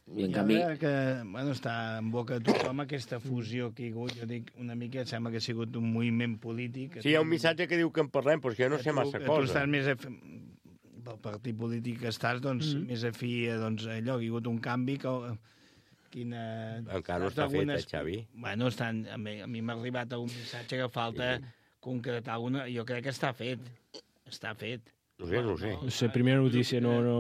I en I canvi... que, bueno, està en boca de tothom aquesta fusió que hi ha hagut, jo dic una mica, sembla que ha sigut un moviment polític. Sí, hi ha un missatge que diu que en parlem, però és que jo no sé massa tu, cosa. Tu estàs més... A... pel partit polític que estàs, doncs, mm. més afí a doncs, allò, que hi ha hagut un canvi que... Quina... Encara no està fet, eh, Xavi? Bueno, estan... a mi, a mi m'ha arribat un missatge que falta sí. concretar alguna... Jo crec que està fet. Està fet. No sé, no sé. No sé, primera notícia, no... no...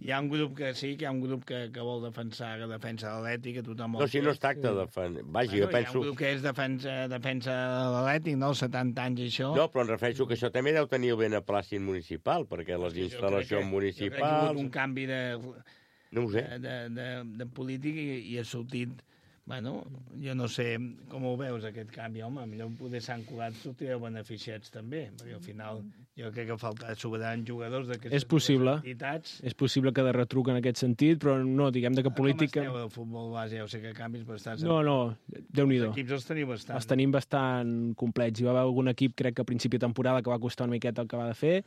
Hi ha un grup que sí, que hi ha un grup que, que vol defensar, que defensa l'Atlètic, que tothom... No, si no es tracta de defensar... Vaja, bueno, jo penso... Hi ha un grup que és defensa, defensa l'Atlètic, no? Els setanta anys i això... No, però em refereixo que això també deu tenir el beneplàcit municipal, perquè les instal·lacions municipals... Jo crec que hi ha hagut un canvi de... No ho sé. De, de, de, de polític i, i ha sortit... Bueno, jo no sé com ho veus, aquest canvi. Home, millor poder Sant Cugat sortireu beneficiats també, perquè al final jo crec que falta sobraran jugadors d'aquestes és possible. entitats. És possible que de retruc en aquest sentit, però no, diguem de que política... Com esteu del futbol base? Ja ho sé que canvis, però estàs... No, no, Déu-n'hi-do. Els equips els teniu bastant. Els tenim bastant complets. Hi va haver algun equip, crec que a principi de temporada, que va costar una miqueta el que va de fer,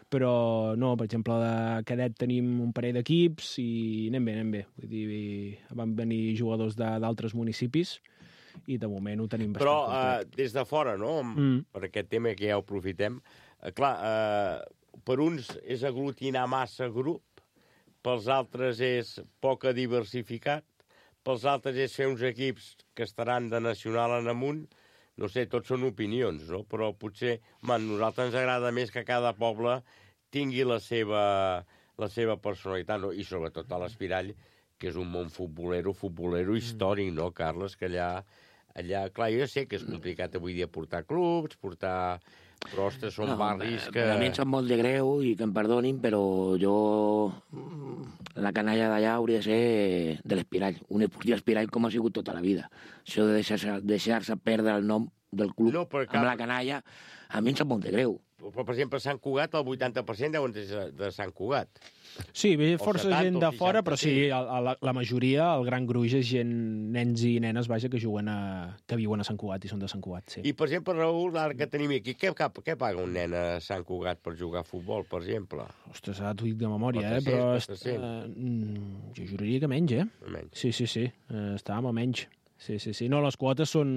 però no, per exemple, de cadet tenim un parell d'equips i anem bé, anem bé. Vull dir, van venir jugadors d'altres municipis i de moment ho tenim bastant però, complet. Però uh, des de fora, no? Mm. Per aquest tema que ja ho aprofitem, uh, clar, uh, per uns és aglutinar massa grup, pels altres és poca diversificat, pels altres és fer uns equips que estaran de nacional en amunt. No sé, tots són opinions, no? Però potser, man, a nosaltres ens agrada més que cada poble tingui la seva, la seva personalitat, no? I sobretot a l'Espirall, que és un món futbolero, futbolero històric, no, Carles? Que allà, allà, clar, jo sé que és complicat avui dia portar clubs, portar... Però, ostres, són no, barris que... A mi em sap molt de greu i que em perdonin, però jo la canalla d'allà hauria de ser de l'Espirall, un esportiu Espirall com ha sigut tota la vida. Això de deixar-se deixar perdre el nom del club no, cap... amb la canalla, a mi em sap molt de greu. Però, per exemple, Sant Cugat, el vuitanta per cent deuen ser de Sant Cugat. Sí, ve força setanta, gent de fora, però sí, la, la majoria, el gran gruix, és gent, nens i nenes, vaja, que juguen a, que viuen a Sant Cugat i són de Sant Cugat, sí. I, per exemple, Raül, ara que tenim aquí, què, què paga un nen a Sant Cugat per jugar a futbol, per exemple? Ostres, ara t'ho dic de memòria, eh? Però uh, jo juraria que menys, eh? Menys. Sí, sí, sí, uh, estàvem a menys. Sí, sí, sí. No, les quotes són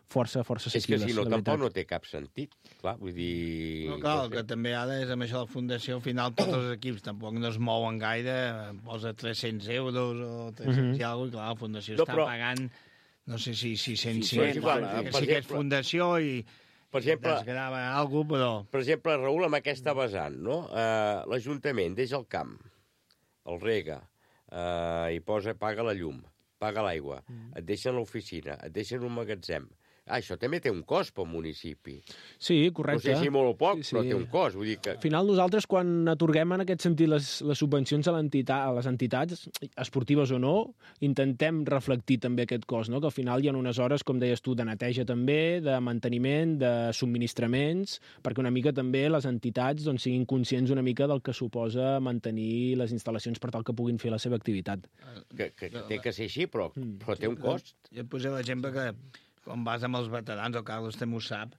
força, força assequibles. És que si no, tampoc no té cap sentit. Clar, vull dir... No, clar, el que també ara és amb això de la fundació, al final tots els equips tampoc no es mouen gaire, posa tres-cents euros o tres-cents mm-hmm. i alguna cosa, i clar, la fundació no, està però... pagant, no sé si sis-cents, sí, sí, igual, que sí que és fundació i per exemple, desgrava alguna cosa, però... Per exemple, Raül, amb aquesta vessant, no? Uh, L'Ajuntament deixa el camp, el rega, uh, i posa, paga la llum, paga l'aigua, mm. et deixen l'oficina, et deixen un magatzem. Ah, això també té un cost pel municipi. Sí, correcte. No sé si molt o poc, sí, sí. però té un cost. Vull dir que... Al final, nosaltres, quan atorguem en aquest sentit les, les subvencions a, a les entitats, esportives o no, intentem reflectir també aquest cost, no? Que al final hi ha unes hores, com deies tu, de neteja també, de manteniment, de subministraments, perquè una mica també les entitats doncs, siguin conscients una mica del que suposa mantenir les instal·lacions per tal que puguin fer la seva activitat. Que, que, que té que ser així, però, però té un cost. Jo et posé l'exemple que quan vas amb els veterans, el Carlos també ho sap,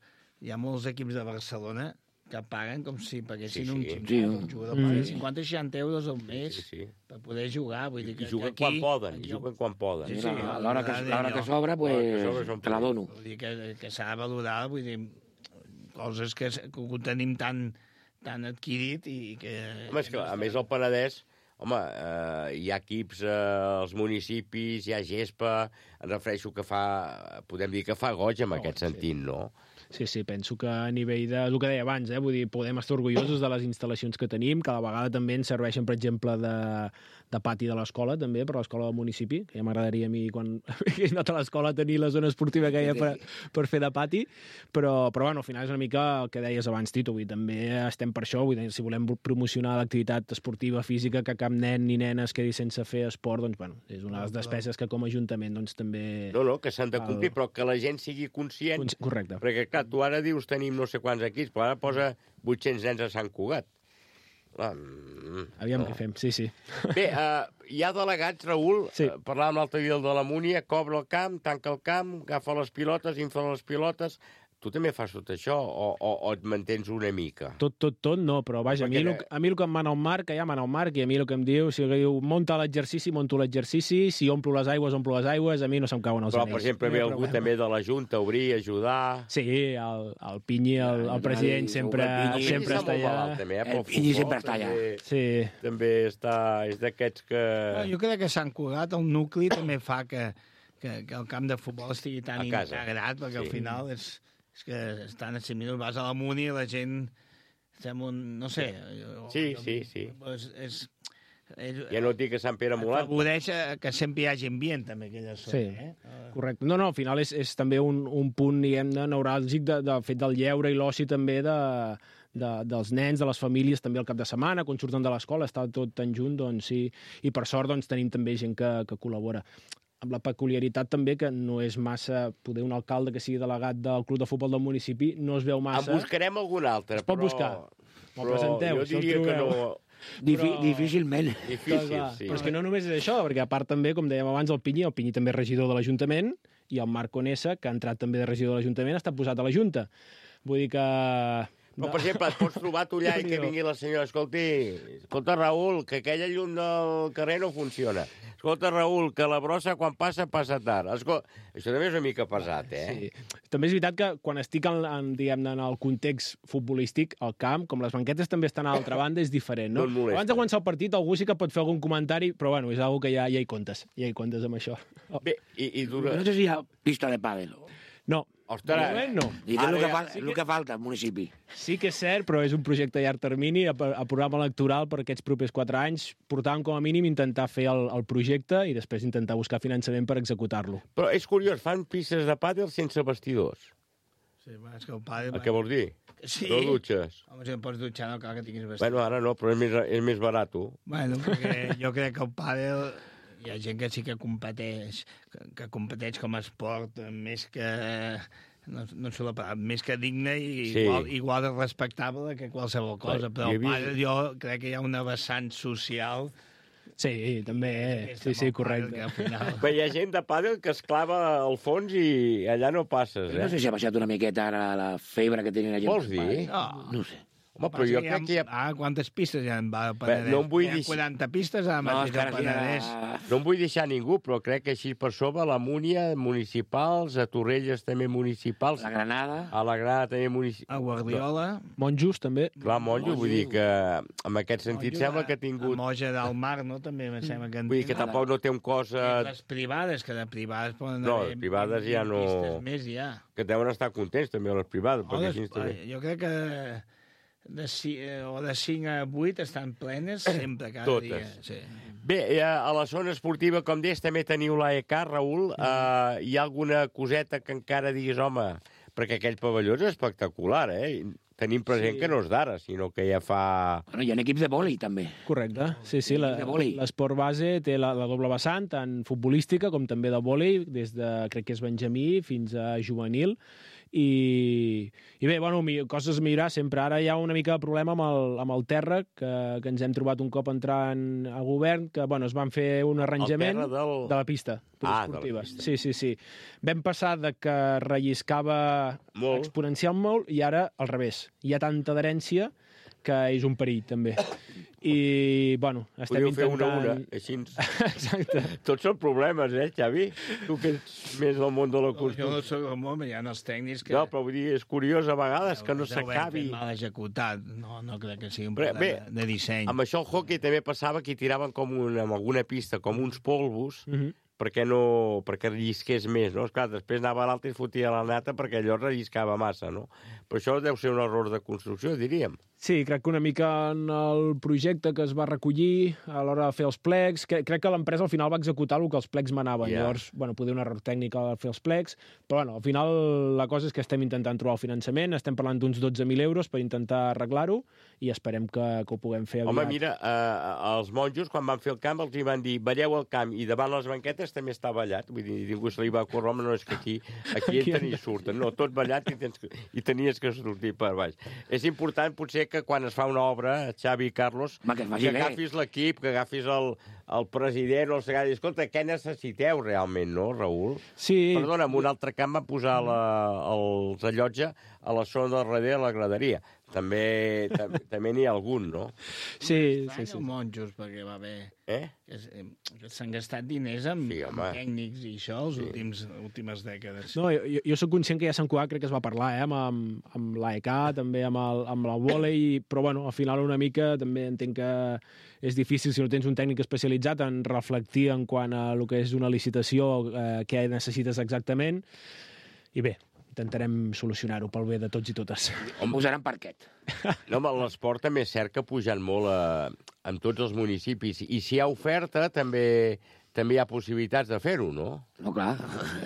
hi ha molts equips de Barcelona que paguen com si paguessin sí, sí. un gimnàs. Un jugador mm. paga cinquanta o seixanta euros al mes sí, sí. per poder jugar. Vull dir que, I juguen que aquí, quan poden, i juguen quan poden. Sí, sí, a l'hora que, que sobra, pues, te la dono. Vull dir que, que s'ha de valorar, vull dir, coses que, que ho tenim tan, tan adquirit i que... Home, és que, a més, el Penedès, home, eh, hi ha equips eh, als municipis, hi ha gespa, em refereixo que fa, podem dir que fa goig en aquest sentit, no? Sí, sí, penso que a nivell de... El que deia abans, eh? Vull dir, podem estar orgullosos de les instal·lacions que tenim, que a la vegada també ens serveixen, per exemple, de, de pati de l'escola, també, per l'escola del municipi, que ja m'agradaria a mi, quan he anat a l'escola, tenir la zona esportiva que hi ha per, per fer de pati, però, però bueno, al final és una mica el que deies abans, Tito, vull dir, també estem per això, vull dir, si volem promocionar l'activitat esportiva física, que cap nen ni nena es quedi sense fer esport, doncs, bueno, és una de les despeses que com a Ajuntament, doncs, també... No, no, que s'han de complir, el... però que la gent sigui conscient. Correcte. Perquè, clar, tu ara dius tenim no sé quants equips, però ara posa vuit-cents nens a Sant Cugat. Ah, Aviam no. què fem, sí, sí. Bé, uh, hi ha delegats, Raül, sí. uh, parlàvem l'altre dia de la Múnia, cobra el camp, tanca el camp, agafa les pilotes, infla les pilotes... Tu també fas tot això o, o, o et mantens una mica? Tot, tot, tot no, però vaja, a mi, el, a mi el que em mana el Marc, que ja mana el Marc, i a mi el que em diu, si diu, monta l'exercici, monto l'exercici, si omplo les aigües, omplo les aigües, a mi no se'm cauen els però, anells. Però, per exemple, ve algú també de la Junta, obrir, ajudar... Sí, el, el Pinyi, el, el president, sempre, el Pinyi, sempre està allà. Malalt, també, eh? El Pinyi sempre està allà. Sí. També està, és d'aquests que... Jo crec que Sant Cugat, el nucli, també fa que, que, que el camp de futbol estigui tan integrat, perquè sí. al final és... És que estan a cinc minuts, vas a la Muni i la gent... Estem un... no sé... Sí, sí, sí. És, és, és, ja no et dic que Sant Pere Molant. Afavoreix que sempre hi hagi ambient, també, aquella zona. Sí, eh? correcte. No, no, al final és, és també un, un punt, diguem, neuràlgic de, del fet del lleure i l'oci també de, de, dels nens, de les famílies, també al cap de setmana, quan surten de l'escola, està tot tan junt, doncs sí. I per sort, doncs, tenim també gent que, que col·labora. Amb la peculiaritat també que no és massa... Poder un alcalde que sigui delegat del club de futbol del municipi no es veu massa... En buscarem algun altre, es pot però... buscar. Me'l però presenteu, jo diria que no... Difi però... Difícilment. Difícil, clar, sí. Però és que no només és això, perquè a part també, com dèiem abans, el Pinyi, el Pinyi també és regidor de l'Ajuntament, i el Marc Conesa, que ha entrat també de regidor de l'Ajuntament, ha estat posat a la Junta. Vull dir que... Però, per exemple, et pots trobar tu allà i que vingui la senyora, escolti, escolta, Raül, que aquella llum del carrer no funciona. Escolta, Raül, que la brossa quan passa, passa tard. Escolta, això també és una mica pesat, eh? Sí. També és veritat que quan estic en, en, diguem, en el context futbolístic, al camp, com les banquetes també estan a l'altra banda, és diferent, no? no Abans de començar el partit, algú sí que pot fer algun comentari, però bueno, és una que ja, ja hi comptes, ja hi comptes amb això. Oh. Bé, i, i dura... No sé si hi ha pista de pàdel. No. Ostres, no. I és el que, fa, sí que... el que falta al municipi. Sí que és cert, però és un projecte a llarg termini, a, a programa electoral per aquests propers quatre anys. Portàvem com a mínim intentar fer el, el projecte i després intentar buscar finançament per executar-lo. Però és curiós, fan pistes de pàdel sense vestidors. Sí, és que el pàdel... Què vols dir? Sí. No dutxes? Home, si no pots dutxar, no cal que tinguis vestit. Bueno, ara no, però és més, és més barat. Bueno, perquè jo crec que el pàdel... Hi ha gent que sí que competeix, que, que competeix com a esport, més que... No, no sé la paraula, més que digne i Sí. igual, igual de respectable que qualsevol cosa, però el pàdel jo crec que hi ha una vessant social... Sí, també, sí, sí, correcte. Bé, hi ha gent de pàdel que es clava al fons i allà no passes, eh? No sé si ha baixat una miqueta ara la febre que tenia la gent. Vols dir? No. No ho sé. Home, però jo crec que hi ha... Ah, quantes pistes hi ha? Va, Penedès? no em vull Hi ha dir- quaranta pistes a No, mateix és que al ara sí, Penedès. No em vull deixar ningú, però crec que així per sobre la Múnia, municipals, a Torrelles també municipals. La Granada. A la Granada també municipals. A Guardiola. Monjos, també. Clar, Monjo, vull dir que en aquest sentit sembla que ha tingut... A Moja del Mar, no? També em sembla que... en Vull dir que tenen. tampoc no té un cos... I eh, les privades, que de privades poden No, haver les privades ja vint no... pistes més ja. Que deuen estar contents també les privades, O perquè les, així està bé. jo crec que de, ci- eh, o de cinc a vuit estan plenes sempre, cada Totes. dia. Sí. Bé, eh, a la zona esportiva, com deies, també teniu l'A E K, Raül. Eh, hi ha alguna coseta que encara diguis, home, perquè aquell pavelló és espectacular, eh? Tenim present Sí. que no és d'ara, sinó que ja fa... Bueno, hi ha equips de vòlei, també. Correcte, sí, sí. La- De vòlei. L'esport base té la, la doble vessant, tant futbolística com també de vòlei, des de, crec que és benjamí, fins a juvenil. I, i bé, bueno, mi- coses a millorar sempre. Ara hi ha una mica de problema amb el, amb el terra, que, que ens hem trobat un cop entrant al govern, que bueno, es van fer un arranjament terra del- de la pista Ah, de la esportiva. pista. Sí, sí, sí. Vam passar de que relliscava Molt. exponencial molt i ara al revés. Hi ha tanta adherència que és un perill, també. I, bueno, estem Podríeu fer intentant... una a una, així. Exacte. Tots són problemes, eh, Xavi? Tu que ets més del món de la Jo construcció. no soc el món, hi ha els tècnics que... No, però vull dir, és curiós a vegades que no Ho hem s'acabi. fet mal executat. No, no crec que sigui un Però, problema bé, de disseny. Amb això el hockey també passava que hi tiraven com una, amb alguna pista, com uns polvos, Mhm. perquè no perquè rellisqués més, no? Esclar, després anava a l'altre i es fotia la nata perquè allò relliscava massa, no? Però això deu ser un error de construcció, diríem. Sí, crec que una mica en el projecte que es va recollir a l'hora de fer els plecs, que, crec que l'empresa al final va executar el que els plecs manaven. Ja. Llavors, bueno, poder un error tècnic al fer els plecs, però bueno, al final la cosa és que estem intentant trobar el finançament, estem parlant d'uns dotze mil euros per intentar arreglar-ho i esperem que, que ho puguem fer aviat. Home, mira, eh, els monjos, quan van fer el camp, els hi van dir, balleu el camp, i davant les banquetes també està ballat. Vull dir, ningú se li va córrer, home, no és que aquí, aquí entren i surten. No, tot ballat i, tens, que- i tenies que sortir per baix. És important, potser, que quan es fa una obra, Xavi i Carlos, Home, que es faci que bé. agafis l'equip, que agafis el, el president o el secretari. Escolta, què necessiteu realment, no, Raül? Sí. Perdona, en un altre camp van posar la, els allotja a la zona del darrere de la graderia. També, tam, també n'hi ha algun, no? Sí, sí, sí. monjos, perquè va haver... Eh? Que es- eh, que s'han gastat diners amb, Sí, amb home. tècnics i això les Sí. últims, últimes dècades. No, jo, jo sóc conscient que ja a Sant Cugat crec que es va parlar, eh, amb, amb, amb l'A E K, també amb el, amb el vòlei, però bueno, al final una mica també entenc que és difícil si no tens un tècnic especialitzat en reflectir en quant a el que és una licitació, eh, què necessites exactament, i bé, intentarem solucionar-ho pel bé de tots i totes. On posaran parquet? No, home, l'esport també és cert que ha pujat molt a, en tots els municipis. I si hi ha oferta, també també hi ha possibilitats de fer-ho, no? No, clar,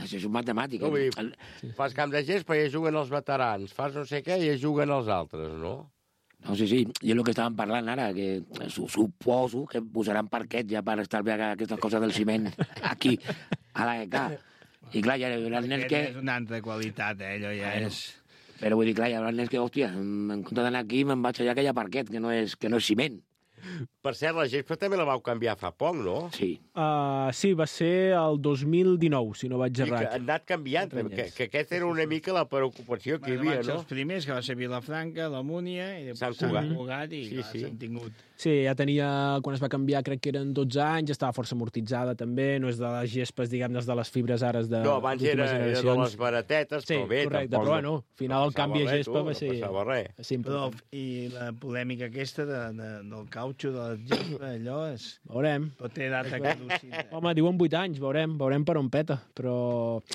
això és un matemàtic. No, vull dir, El- fas camp de gespa i ja juguen els veterans, fas no sé què i ja juguen els altres, no? No, sí, sí, jo el que estàvem parlant ara, que su suposo que posaran parquet ja per estalviar aquestes coses del ciment aquí, a l'A E K. I clar, hi haurà nens que... És una altra qualitat, eh? Allò ja Bueno. és... Però vull dir, clar, hi haurà nens que, hòstia, en compte d'anar aquí me'n vaig allà que hi ha parquet, que no és, que no és ciment. Per cert, la gespa també la vau canviar fa poc, no? Sí. Uh, sí, va ser el dos mil dinou, si no vaig I que errat. ha anat canviant, que, que aquesta era una mica la preocupació que hi Bueno, havia, van ser no? els primers, que va ser Vilafranca, la Múnia, i Sant després Cugat. Sant Cugat, i Sí, clar, sí. s'han tingut. Sí, ja tenia, quan es va canviar, crec que eren dotze anys, estava força amortitzada també, no és de les gespes, diguem, des de les fibres ares de No, abans era, d'últimes era de generacions. les baratetes, Sí, però bé, correcte, tampoc... però bueno, al final el passava canvi a res, gespa tu, va ser... No passava res. va ser Però, important. I la polèmica aquesta de, de, del cautxo, de la gespa, allò és... Veurem. Però té data caducida. Home, diuen vuit anys, veurem, veurem per on peta. Però,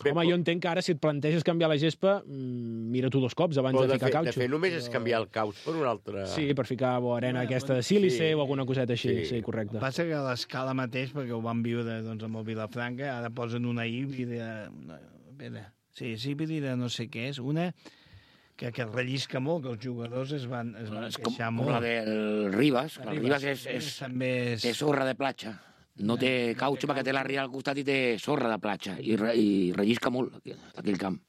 Bé, home, però- jo entenc que ara si et planteges canviar la gespa, mmm, mira tu dos cops abans Però de de, ficar fer, cautxo. de fer només és canviar el caus per un altre... Sí, per ficar bo, arena Bueno, aquesta de bueno, sílice sí. o alguna coseta així, Sí. sí, correcte. El que passa que a l'escala mateix, perquè ho van viure doncs, amb el Vilafranca, ara posen una híbrida... Una, espera, sí, és híbrida no sé què és. Una que, que rellisca molt, que els jugadors es van, es van queixar com, molt. Com la del Ribas, que el Ribas és, és, també és... té sorra de platja. No té cautxo perquè té la ria al costat i té sorra de platja. I, re, i rellisca molt aquell camp.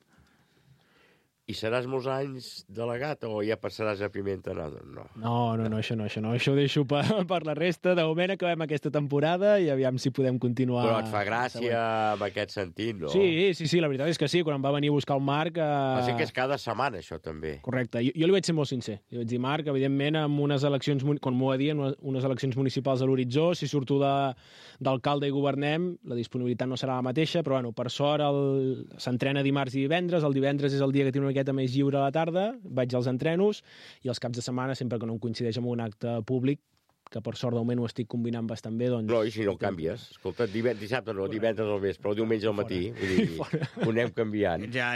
I seràs molts anys delegat o ja passaràs a Pimenta? No, no. No, no, no, això no, això no. Això ho deixo per, per la resta. De moment acabem aquesta temporada i aviam si podem continuar... Però et fa gràcia en aquest sentit, no? Sí, sí, sí, la veritat és que sí. Quan em va venir a buscar el Marc... Eh... Així que és cada setmana, això, també. Correcte. Jo, jo li vaig ser molt sincer. Li vaig dir, Marc, evidentment, amb unes eleccions, com m'ho va dir, unes eleccions municipals a l'horitzó, si surto d'alcalde i governem, la disponibilitat no serà la mateixa, però, bueno, per sort, el... s'entrena dimarts i divendres. El divendres és el dia que tinc una miqueta més lliure a la tarda, vaig als entrenos i els caps de setmana, sempre que no em coincideix amb un acte públic, que per sort de moment ho estic combinant bastant bé, doncs... No, i si no canvies. Escolta, dissabte no, divendres al vespre, o diumenge al matí. Vull dir, ho anem canviant. Ja,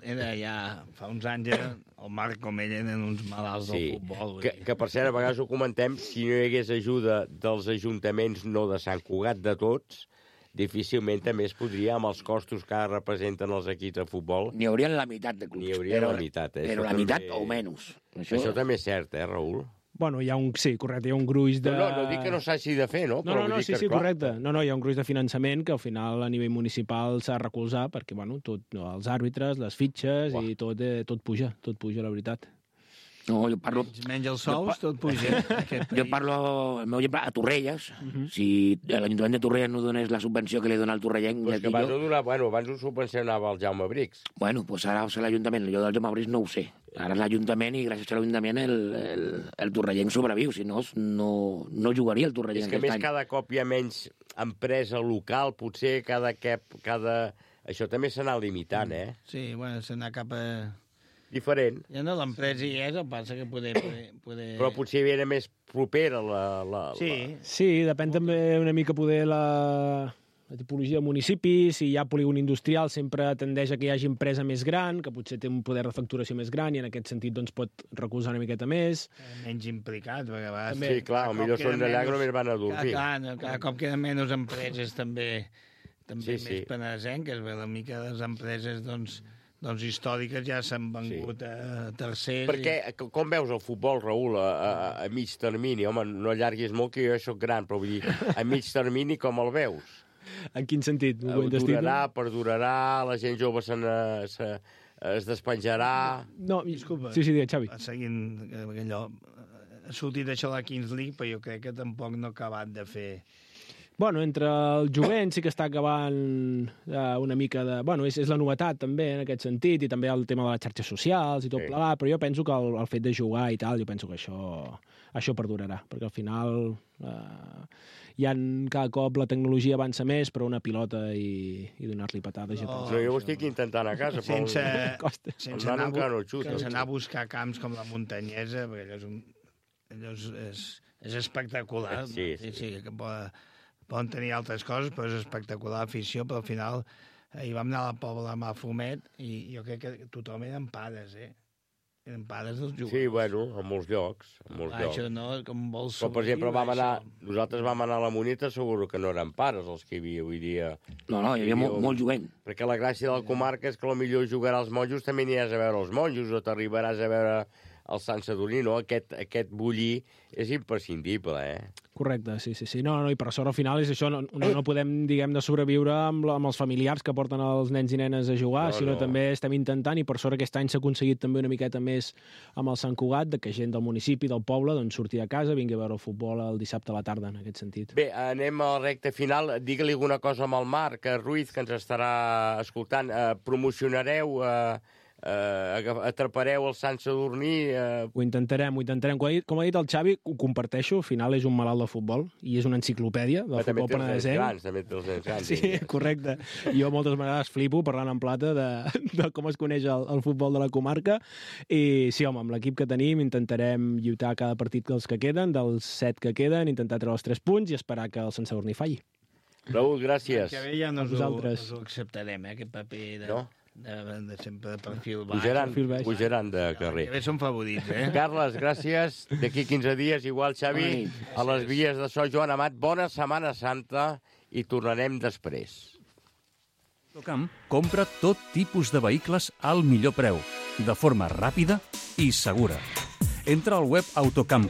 era, ja fa uns anys, era, el Marc com ell eren uns malalts sí. del futbol. Que, que, per cert, a vegades ho comentem, si no hi hagués ajuda dels ajuntaments, no de Sant Cugat, de tots, difícilment també es podria, amb els costos que representen els equips de futbol... N'hi haurien la meitat de clubs. N'hi hauria però, la meitat, eh? Però això la meitat també... o menys. Això... Això també és cert, eh, Raül? Bueno, hi ha un... Sí, correcte, hi ha un gruix de... No, no, no dic que no s'hagi de fer, no? No, però no, no, dir sí, que, sí, clar... correcte. No, no, hi ha un gruix de finançament que al final a nivell municipal s'ha de recolzar perquè, bueno, tot, no, els àrbitres, les fitxes Uah. i tot, eh, tot puja, tot puja, la veritat. No, jo parlo... Menys els sous, tot puja. Jo parlo, el meu exemple, a Torrelles. Uh -huh. Si l'Ajuntament de Torrelles no donés la subvenció que li dona al torrellenc... Pues que abans, jo... donar, bueno, abans ho subvencionava el Jaume Brix. Bueno, pues ara és l'Ajuntament. Jo del Jaume Brix no ho sé. Ara és l'Ajuntament i gràcies a l'Ajuntament el, el, el torrellenc sobreviu. Si no, no, no jugaria el torrellenc. És que més any. Cada cop hi ha menys empresa local, potser cada... cada... Això també s'anà limitant, eh? Sí, bueno, s'anà cap a... Diferent. Ja no, l'empresa hi és, el passa que poder... poder, poder... Però potser hi era més propera la... la sí. La... Sí, depèn també una mica poder la... la tipologia de municipi. Si hi ha polígon industrial sempre tendeix a que hi hagi empresa més gran, que potser té un poder de facturació més gran i en aquest sentit doncs, pot recolzar una miqueta més. Menys implicat, perquè a vegades... Sí, clar, potser són d'allà que només van a dormir. Cada, cada, cada cop queden menys empreses també, també sí, més sí. penesenques, perquè la mica de les empreses, doncs... doncs històriques ja s'han vengut sí. a tercers. Perquè, i... com veus el futbol, Raül, a, a, a mig termini? Home, no allarguis molt, que jo soc gran, però vull dir, a mig termini com el veus? En quin sentit? Durarà, perdurarà, la gent jove se, se, es despenjarà... No, disculpa. Sí, sí, digue, Xavi. Seguint allò, ha sortit això de la Kings League, però jo crec que tampoc no ha acabat de fer... Bueno, entre el jovent sí que està acabant eh, una mica de... Bueno, és, és la novetat també en aquest sentit i també el tema de les xarxes socials i tot sí. plegat, però jo penso que el, el fet de jugar i tal, jo penso que això, això perdurarà, perquè al final eh, hi ha cada cop la tecnologia avança més, però una pilota i, i donar-li patades... No, no, jo ho estic intentant a casa, però... Sense, el... sense, anar, no sense anar a buscar camps com la Muntanyesa, perquè allò és, un, allò és, és, és espectacular. Sí, sí. sí, sí que pot... Poden tenir altres coses, però és espectacular afició, però al final hi vam anar a la Pobla de Mafumet i jo crec que tothom eren pares, eh? Eren pares dels jugadors. Sí, bueno, en molts llocs. En molts ah, llocs. Això no, com vols però, per exemple, vam anar, nosaltres vam anar a la Monita, segur que no eren pares els que hi havia avui dia. No, no, hi havia molt, molt jovent. Perquè la gràcia de la comarca és que potser jugarà als monjos, també aniràs a veure els monjos, o t'arribaràs a veure el Sant Sadurní, no? Aquest, aquest bullir és imprescindible, eh? Correcte, sí, sí, sí. No, no, i per sort al final és això, no, no, no podem, diguem, de sobreviure amb, la, amb els familiars que porten els nens i nenes a jugar, no, sinó no. també estem intentant, i per sort aquest any s'ha aconseguit també una miqueta més amb el Sant Cugat, de que gent del municipi, del poble, doncs surti a casa, vingui a veure el futbol el dissabte a la tarda, en aquest sentit. Bé, anem a la recta final. Digue-li alguna cosa amb el Marc Ruiz, que ens estarà escoltant. Eh, promocionareu... Eh, Uh, atrapareu el Sant Sadurní... Uh... Ho intentarem, ho intentarem. Com ha, dit, com ha dit el Xavi, ho comparteixo, al final és un malalt de futbol i és una enciclopèdia del futbol penedesenc. També té els nens grans. Sí, correcte. Jo moltes vegades flipo parlant en plata de, de com es coneix el, el futbol de la comarca i sí, home, amb l'equip que tenim intentarem lluitar cada partit dels que queden, dels set que queden, intentar treure els tres punts i esperar que el Sant Sadurní falli. Raül, gràcies. Que bé ja no us, ho, us ho acceptarem, eh, aquest paper de... No? De, de sempre de perfil baix. Pujaran, pujaran de carrer. Que bé són favorits, eh? Carles, gràcies. D'aquí quinze dies, igual, Xavi, Ai, a les vies de so, Joan Amat. Bona Setmana Santa i tornarem després. Camp compra tot tipus de vehicles al millor preu. de forma ràpida i segura. Entra al web autocamp